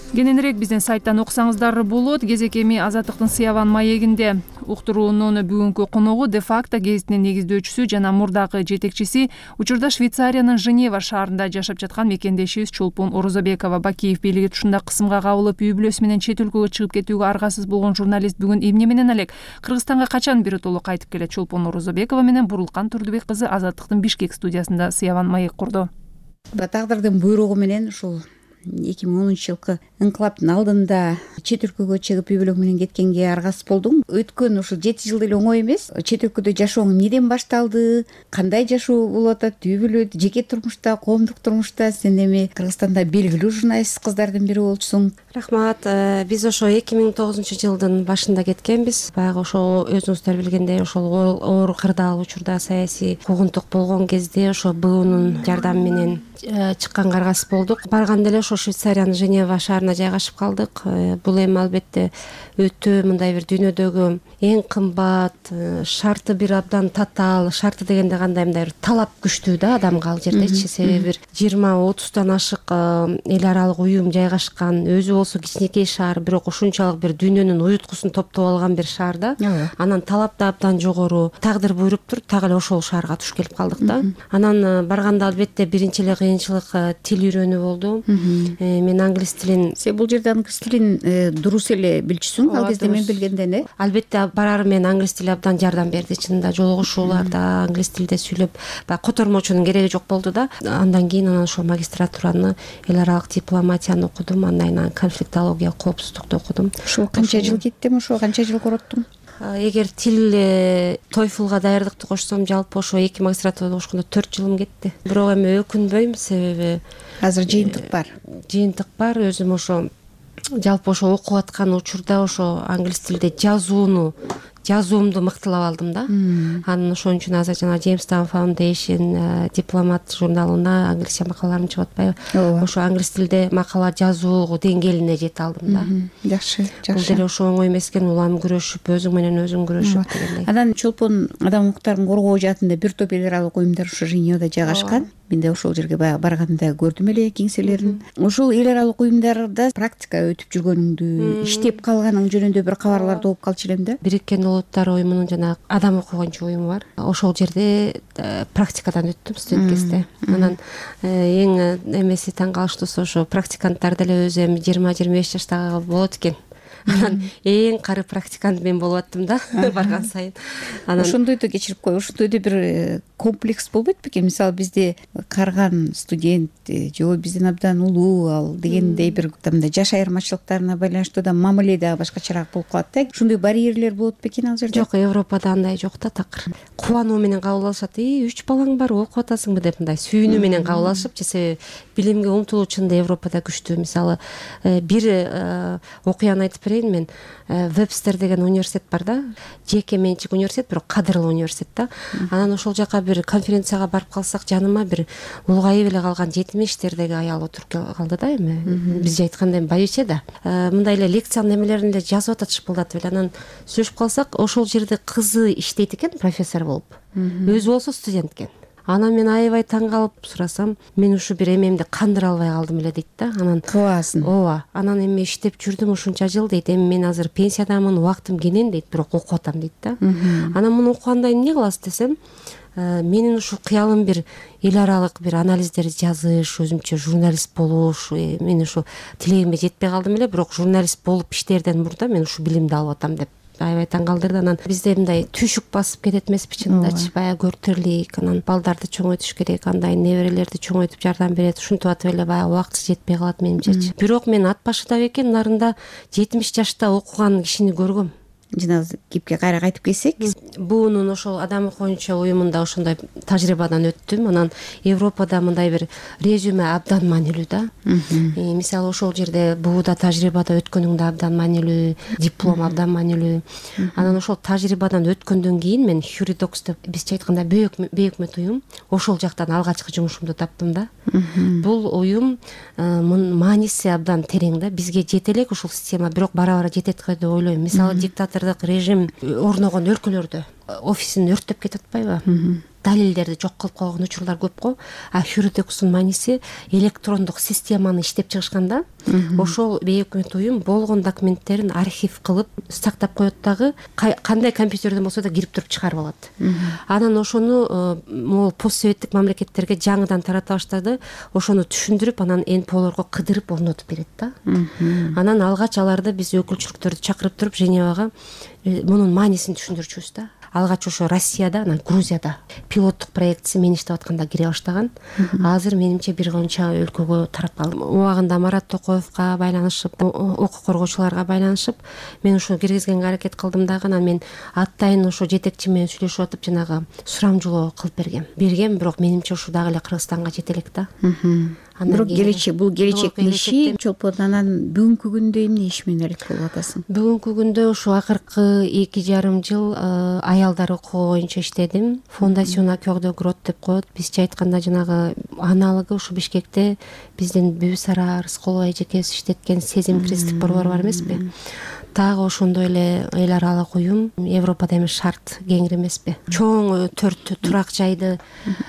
Кененирээк биздин сайттан окусаңыздар болот. Кезек эми Азаттыктын Сыяван маегинде. Уктуруунун бүгүнкү коногу де-факто гезитинин негиздөөчүсү жана мурдагы жетекчиси, учурда Швейцариянын Женева шаарында жашап жаткан мекендешибиз Чолпон Орозобекова. Бакиев бийлиги тушунда кысымга кабылып, үй бүлөсү менен чет өлкөгө чыгып кетүүгө аргасыз болгон журналист бүгүн эмне менен элек Кыргызстанга качан биротоло кайтып келет? Чолпон Орозобекова менен Бурулкан Турдубек кызы Азаттыктын Бишкек студиясында Сыяван маек курду. Тагдырдын буйругу менен ушул эки миң онунчу жылкы инкылаптын алдында чет өлкөгө чыгып үй бүлөң менен кеткенге аргасыз болдум. Өткөн ушул жети жыл деле оңой эмес. Чет өлкөдө жашооң эмнеден башталды, кандай жашоо болуп атат, үй бүлө, жеке турмушта, коомдук турмушта? Сен эми Кыргызстанда белгилүү журналист кыздардын бири болчусуң. Рахмат. Биз ошо эки миң тогузунчу жылдын башында кеткенбиз. Баягы ошо өзүңүздөр билгендей ошол оор кырдаал учурда саясий куугунтук болгон кезде ошо БУнун жардамы менен чыкканга аргасыз болдук. Барганда эле ошо Швейцариянын Женева шаарына жайгашып калдык. Бул эми албетте өтө мындай бир дүйнөдөгү эң кымбат, шарты бир абдан татаал, шарты дегенде кандай мындай бир талап күчтүү да адамга ал жердечи. Себеби бир жыйырма отуздан ашык эл аралык уюм жайгашкан, өзү болсо кичинекей шаар, бирок ушунчалык бир дүйнөнүн уюткусун топтоп алган бир шаар да. Анан талап да абдан жогору. Тагдыр буйруптур, так эле ошол шаарга туш келип калдык да. Анан барганда албетте биринчи эле кыйынчылык тил үйрөнүү болду. мен англис тилин сен бул жерде англис тилин дурус эле билчүсүң, ал кезде мен билгенден э албетте барары менен англис тили абдан жардам берди. Чынында жолугушууларда англис тилде сүйлөп баягы котормочунун кереги жок болду да. Андан кийин анан ошол магистратураны эл аралык дипломатияны окудум, андан кийин конфликтология, коопсуздукту окудум. Ошо канча жыл кеттим, ошо канча жыл короттуң? Эгер тил тойфулга даярдыкты кошсом, жалпы ошо эки магистратурада окушкондо төрт жылым кетти. Бирок эми өкүнбөйм, себеби азыр жыйынтык бар. Жыйынтык бар. Өзүм ошо жалпы ошо окуп аткан учурда ошо англис тилде жазууну жазуумду мыктылап алдым да. Анан ошон үчүн азыр жана Jamestown Foundation дипломат журналына англисче макалаларым чыгып атпайбы? Ошо англис тилде макала жазуу деңгээлине жете алдым да. Жакшы, жакшы. Бул деле ошо оңой эмес экен, улам күрөшүп, өзүң менен өзүң күрөшүп дегендей. Анан чолпон адам укуктарын коргоо жаатында бир топ эл аралык уюмдар ошо Женевада жайгашкан. Мен да ошол жерге баягы барганда көрдүм эле кеңселерин. Ошол эл аралык уюмдарда практика өтүп жүргөнүңдү, иштеп калганың жөнүндө бир кабарларды угуп калчу элем да. Бириккен Улуттар уюмунун жана адам укугунчу уюму бар. Ошол жерде практикадан өттүм студент кезде. Анан эң эмеси таң калыштуусу ошо практиканттар деле өзү эми жыйырма жыйырма беш жаштагы болот экен. Анан эң кары практикант мен болуп аттым да барган сайын. Анан ошондойду кечирип кой, ошондойду бир комплекс болбойт бекен? Мисалы бизде карган студент же бизден абдан улуу ал дегендей бир мындай жаш айырмачылыктарына байланыштуу да мамиле да башкачараак болуп калат да. Ошондой барьерлер болот бекен ал жерде? Жок, Европада андай жок да, такыр. Кубануу менен кабыл алышат. И үч балаң бар, окуп атасыңбы деп мындай сүйүнүү менен кабыл алышып, же билимге умтулуу чынында Европада күчтүү. Мисалы бир окуяны айтып берейин мен. Вебстер деген университет бар да, жеке менчик университет, бирок кадырлуу университет да. Анан ошол жака бир конференцияга барып калсак, жаныма бир улгайып эле калган жетимиштердеги аял отуруп калды да. Эми бизче айтканда байбиче да. Мындай эле лекциянын немелерин эле жазып атат, шыпылдатып эле. Анан сүйлөшүп калсак, ошол жерде кызы иштейт экен, профессор болуп. Өзү болсо студент экен. Анан мен аябай таң калып сурасам, мен ушу бир эмемди кандыра албай калдым эле дейт да. Анан кыласың. Ооба. Анан эми иштеп жүрдүм ушунча жыл дейт. Эми мен азыр пенсиядамын, убактым кенен дейт, бирок окуп атам дейт да. Анан муну окуганда эмне кыласыз десем, менин ушул кыялым бир эл аралык бир анализдерди жазыш, өзүмчө журналист болуш, мен ушу тилегимге жетпей калдым эле, бирок журналист болуп иштээрден мурда мен ушу билимди алып атам деп аябай таң калтырды. Анан бизде мындай түйшүк басып кетет эмеспи чынындачы, баягы көртөрлүк, анан балдарды чоңойтуш керек, андай неберелерди чоңойтуп жардам берет, ушинтип атып эле баягы убакыт жетпей калат менимчечи. Бирок мен ат башыда бекен нарында жетимиш жашта окуган кишини көргөм. Жана кепке кайра кайтып келсек, буунун ошол адам укугунчу уюмунда ошондой тажрыйбадан өттүм. Анан Европада мындай бир резюме абдан маанилүү да. Мисалы ошол жерде бууда тажрыйбада өткөнүңдө абдан маанилүү, диплом абдан маанилүү. Анан ошол тажрыйбадан өткөндөн кийин мен Хюридокс деп бизче айтканда бейөкмөт уюм, ошол жактан алгачкы жумушумду таптым да. Бул уюм мааниси абдан терең да. Бизге жете элек ушул система, бирок бара-бара жетет го деп ойлойм. Мисалы диктатор режим орногон өлкөлөрдө офисин өрттөп кетип атпайбы? Далилдерди жок кылып койгон учурлар көп го. А Хюридокстун мааниси электрондук системаны иштеп чыгышканда, ошол бейөкмөт уюм болгон документтерин архив кылып сактап коет дагы, кандай компьютерден болсо да кирип туруп чыгарып алат. Анан ошону могул постсоветтик мамлекеттерге жаңыдан тарата баштады. Ошону түшүндүрүп, анан эн пэ олорго кыдырып орнотуп берет да. Анан алгач аларды биз өкүлчүлүктөрдү чакырып туруп Женевага мунун маанисин түшүндүрчүбүз да. Алгач ошо Россияда, анан Грузияда пилоттук проектиси мен иштеп атканда кире баштаган. Азыр менимче бир канча өлкөгө тарап калды. Убагында Марат Токоевго байланышып, укук коргоочуларга байланышып, мен ошо киргизгенге аракет кылдым дагы. Анан мен атайын ошо жетекчи менен сүйлөшүп атып жанагы сурамжылоо кылып бергем. Бергем, бирок менимче ушу дагы эле Кыргызстанга жете элек да. Бирок келечек, бул келечектин иши. Чолпон, анан бүгүнкү күндө эмне иш менен алек болуп атасың? Бүгүнкү күндө ушу акыркы эки жарым жыл аялдар укугу боюнча иштедим. Фондасион Акёгдө Грот деп коет. Бизче айтканда жанагы аналогу ушу Бишкекте биздин Бүбүсара Рыскулова эжекебиз иштеткен Сезим кристик борбору бар эмеспи? дагы ошондой эле эл аралык уюм Европада эми шарт кеңири эмеспи, чоң төрт турак жайды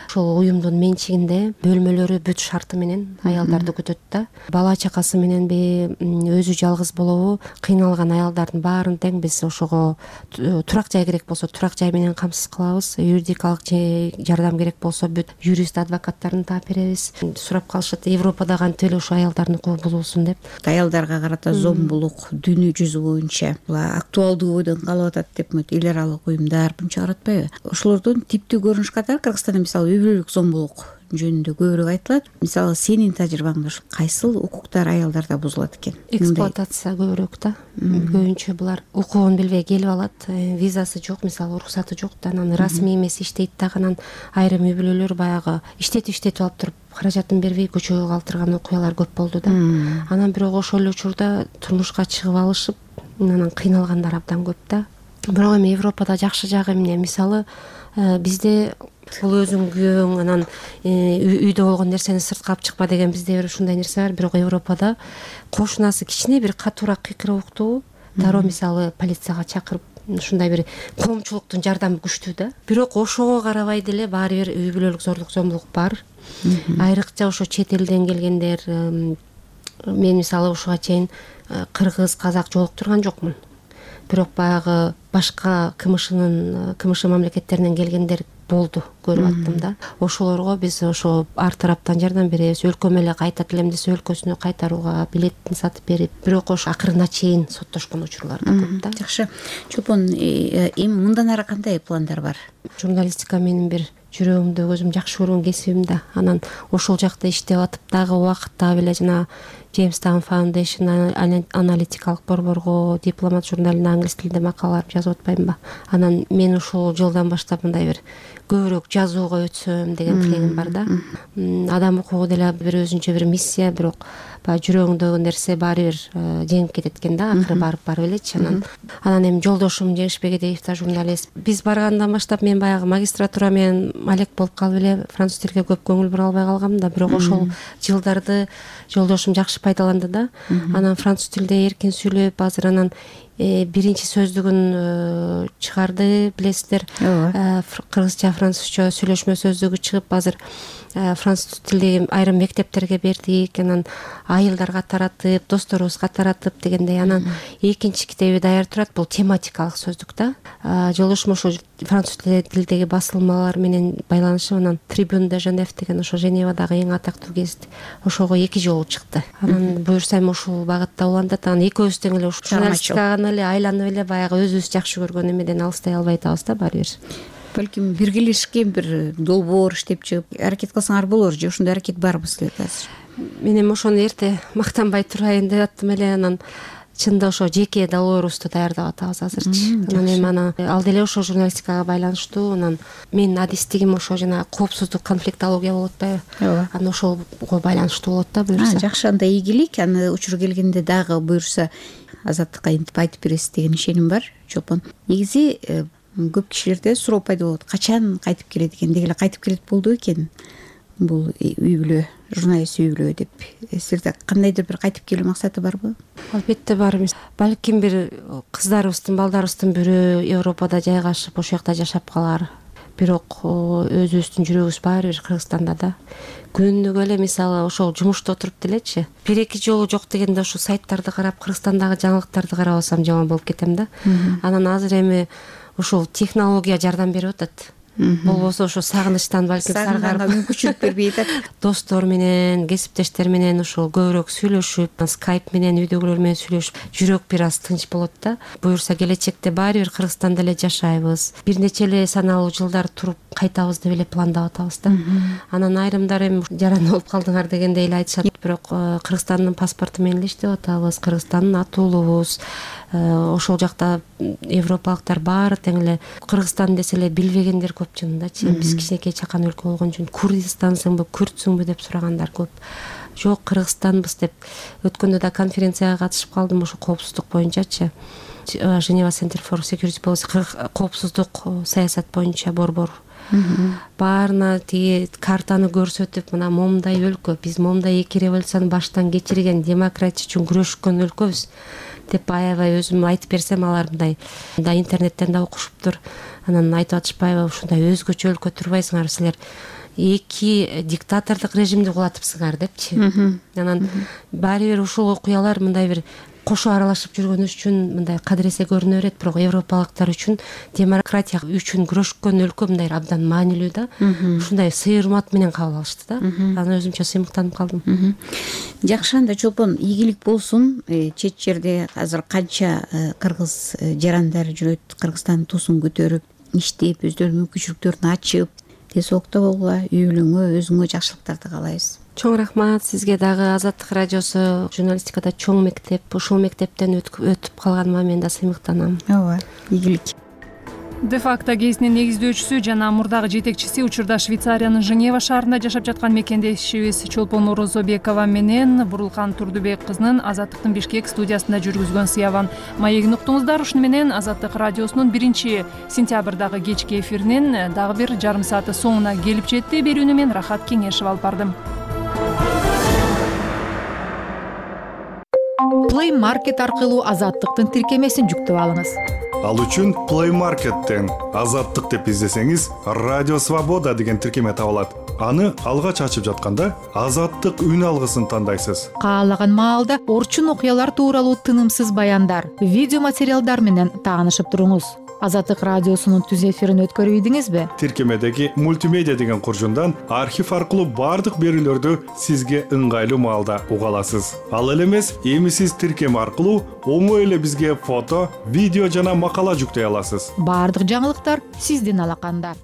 ошол уюмдун менчигинде бөлмөлөрү бүт шарты менен аялдарды күтөт да. Бала чакасы мененби, өзү жалгыз болобу, кыйналган аялдардын баарын тең биз ошого турак жай керек болсо турак жай менен камсыз кылабыз, юридикалык жардам керек болсо бүт юрист адвокаттарын таап беребиз. Сурап калышат, Европада кантип эле ошо аялдардын укугу булуулсун деп. Аялдарга карата зомбулук дүйнө жүзү боюнча актуалдуу бойдон калып атат деп эл аралык уюмдар мынча каратпайбы? Ошолордун типтүү көрүнүш катары Кыргызстанда мисалы үй бүлөлүк зомбулук жөнүндө көбүрөөк айтылат. Мисалы сенин тажрыйбаңда кайсыл укуктар аялдарда бузулат экен? Эксплуатация көбүрөөк да. Көбүнчө булар укугун билбей келип алат, визасы жок, мисалы уруксаты жок да, анан расмий эмес иштейт дагы, анан айрым үй бүлөлөр баягы иштетип иштетип алып туруп каражатын бербей көчөгө калтырган окуялар көп болду да. Анан бирок ошол эле учурда турмушка чыгып алышып, анан кыйналгандар абдан көп да. Бирок эми Европада жакшы жагы эмне? Мисалы бизде бул өзүң күйөөң, анан үйдө болгон нерсени сыртка алып чыкпа деген бизде бир ушундай нерсе бар. Бирок Европада кошунасы кичине бир катуураак кыйкырып уктуу, дароо мисалы полицияга чакырып, ушундай бир коомчулуктун жардамы күчтүү да. Бирок ошого карабай деле баары бир үй бүлөлүк зорлук зомбулук бар. Айрыкча ошо чет элден келгендер, мен мисалы ушуга чейин кыргыз, казак жолуктурган жокмун. Бирок баягы башка КМШнын КМШ мамлекеттеринен келгендер болду, көрүп аттым да. Ошолорго биз ошо ар тараптан жардам беребиз. Өлкөм эле кайтат элем десе өлкөсүнө кайтарууга билетин сатып берип, бирок ошо акырына чейин соттошкон учурлар да көп да. Жакшы. Чолпон, эми мындан ары кандай пландар бар? Журналистика менин бир жүрөгүмдө өзүм жакшы көргөн кесибим да. Анан ошол жакта иштеп атып дагы убакытта эле жана Jamestown Foundation аналитикалык борборго дипломат журналына англис тилинде макалалар жазып атпаймынбы? Анан мен ушул жылдан баштап мындай бир көбүрөөк жазууга өтсөм деген тилегим бар да. Адам укугу деле бир өзүнчө бир миссия, бирок баягы жүрөгүңдөгү нерсе баары бир жеңип кетет экен да, акыры барып барып элечи. Анан анан эми жолдошум Жеңишбек Эдеев да журналист. Биз баргандан баштап мен баягы магистратура менен алек болуп калып эле француз тилге көп көңүл бура албай калгам да, бирок ошол жылдарды жолдошум жакшы пайдаланды да. Анан француз тилде эркин сүйлөп, азыр анан биринчи сөздүгүн чыгарды, билесиздер. Кыргызча, французча сүйлөшмө сөздүгү чыгып, азыр француз тилдеги айрым мектептерге бердик. Анан айылдарга таратып, досторубузга таратып дегендей. Анан экинчи китеби даяр турат, бул тематикалык сөздүк да. Жолдошум ошо француз тилдеги басылмалар менен байланышып, анан Tribune de Genève деген ошо Женевадагы эң атактуу гезит, ошого эки жолу чыкты. Анан буюрса эми ошол багытта улантат. Анан экөөбүз тең эле ушул журналистикага эле айланып эле баягы өзүбүз жакшы көргөн эмеден алыстай албай атабыз да баары бир. Балким биргелешкен бир долбоор иштеп чыгып аракет кылсаңар болор же ошондой аракет барбы силерде азыр? Мен эми ошону эрте мактанбай турайын деп аттым эле. Анан чынында ошо жеке долбоорубузду даярдап атабыз азырчы. Анан эми аны ал деле ошо журналистикага байланыштуу. Анан менин адистигим ошо жана коопсуздук, конфликтология болуп атпайбы? Ооба. Анан ошого байланыштуу болот да буюрса. Жакшы, анда ийгилик. Аны учур келгенде дагы буюрса азаттыкка интип айтып бересиз деген ишеним бар. Чолпон, негизи көп кишилерде суроо пайда болот. Качан кайтып келет экен? Деги эле кайтып келет болду экен бул үй бүлө, журналист үй бүлө деп. Силерде кандайдыр бир кайтып келүү максаты барбы? Албетте бар. Балким бир кыздарыбыздын, балдарыбыздын бирөө Европада жайгашып, ошол жакта жашап калар. Бирок өзүбүздүн жүрөгүбүз баары бир Кыргызстанда да. Күнүгө эле мисалы ошол жумушта отуруп делечи, бир эки жолу жок дегенде ошо сайттарды карап, Кыргызстандагы жаңылыктарды карап алсам жаман болуп кетем да. Анан азыр эми ошол технология жардам берип атат. Болбосо ошо сагынычтан балким саргарып мүмкүнчүлүк бербей атат. Достор менен, кесиптештер менен ошол көбүрөөк сүйлөшүп, скайп менен, үйдөгүлөр менен сүйлөшүп, жүрөк бир аз тынч болот да. Буюрса келечекте баары бир Кыргызстанда эле жашайбыз. Бир нече эле саналуу жылдар туруп кайтабыз деп эле пландап атабыз да. Анан айрымдар эми жаран болуп калдыңар дегендей эле айтышат, бирок Кыргызстандын паспорту менен эле иштеп атабыз. Кыргызстандын атуулубуз. Ошол жакта европалыктар баары тең эле Кыргызстан десе эле билбегендер көп чынындачы. Биз кичинекей чакан өлкө болгон үчүн Курдистансыңбы, Күртсүңбү деп сурагандар көп. Жок, Кыргызстанбыз деп. Өткөндө да конференцияга катышып калдым ошо коопсуздук боюнчачы. Geneva Center for Security Policy, коопсуздук саясат боюнча борбор. Баарына тиги картаны көрсөтүп, мына момундай өлкө, биз момундай эки революцияны баштан кечирген, демократия үчүн күрөшкөн өлкөбүз. деп аябай өзүм айтып берсем, алар мындай да интернеттен да окушуптур. Анан айтып атышпайбы, ушундай өзгөчө өлкө турбайсыңар силер, эки диктатордук режимди кулатыпсыңар депчи. Анан баары бир ушул окуялар мындай бир кошо аралашып жүргөнүбүз үчүн мындай кадыресе көрүнө берет, бирок европалыктар үчүн, демократия үчүн күрөшкөн өлкө мындай абдан маанилүү да. Ушундай сый урмат менен кабыл алышты да. Анан өзүмчө сыймыктанып калдым. Жакшы, анда Чолпон, ийгилик болсун. Чет жерде азыр канча кыргыз жарандар жүрөт, Кыргызстандын туусун көтөрүп, иштеп, өздөрүнүн мүмкүнчүлүктөрүн ачып, тез октобогула, үй бүлөңө, өзүңө жакшылыктарды каалайбыз. Чоң рахмат сизге дагы. Азаттык радиосу журналистикада чоң мектеп. Ушул мектептен өтүп калганыма мен да сыймыктанам. Ооба, ийгилик. Де-факто гезитинин негиздөөчүсү жана мурдагы жетекчиси, учурда Швейцариянын Женева шаарында жашап жаткан мекендешибиз Чолпон Орозобекова менен Бурулкан Турдубек кызынын Азаттыктын Бишкек студиясында жүргүзгөн сыябан маегин уктуңуздар. Ушуну менен Азаттык радиосунун биринчи сентябрдагы кечки эфиринин дагы бир жарым сааты соңуна келип жетти. Берүүнү мен Рахат Кеңешев алып бардым. Play Market аркылуу Азаттыктын тиркемесин жүктөп алыңыз. Ал үчүн Play Market'тен Азаттык деп издесеңиз, Радио Свобода деген тиркеме табылат. Аны алгач ачып жатканда Азаттык үн алгысын тандайсыз. Каалаган маалда орчун окуялар тууралуу тынымсыз баяндар, видео материалдар менен таанышып туруңуз. Азаттык радиосунун түз эфирин өткөрүбүдүңүзбү? Тиркемедеги мультимедиа деген куржундан архив аркылуу бардык берүүлөрдү сизге ыңгайлуу маалда уга аласыз. Ал эле эмес, эми сиз тиркеме аркылуу оңой эле бизге фото, видео жана макала жүктөй аласыз. Бардык жаңылыктар сиздин алаканда.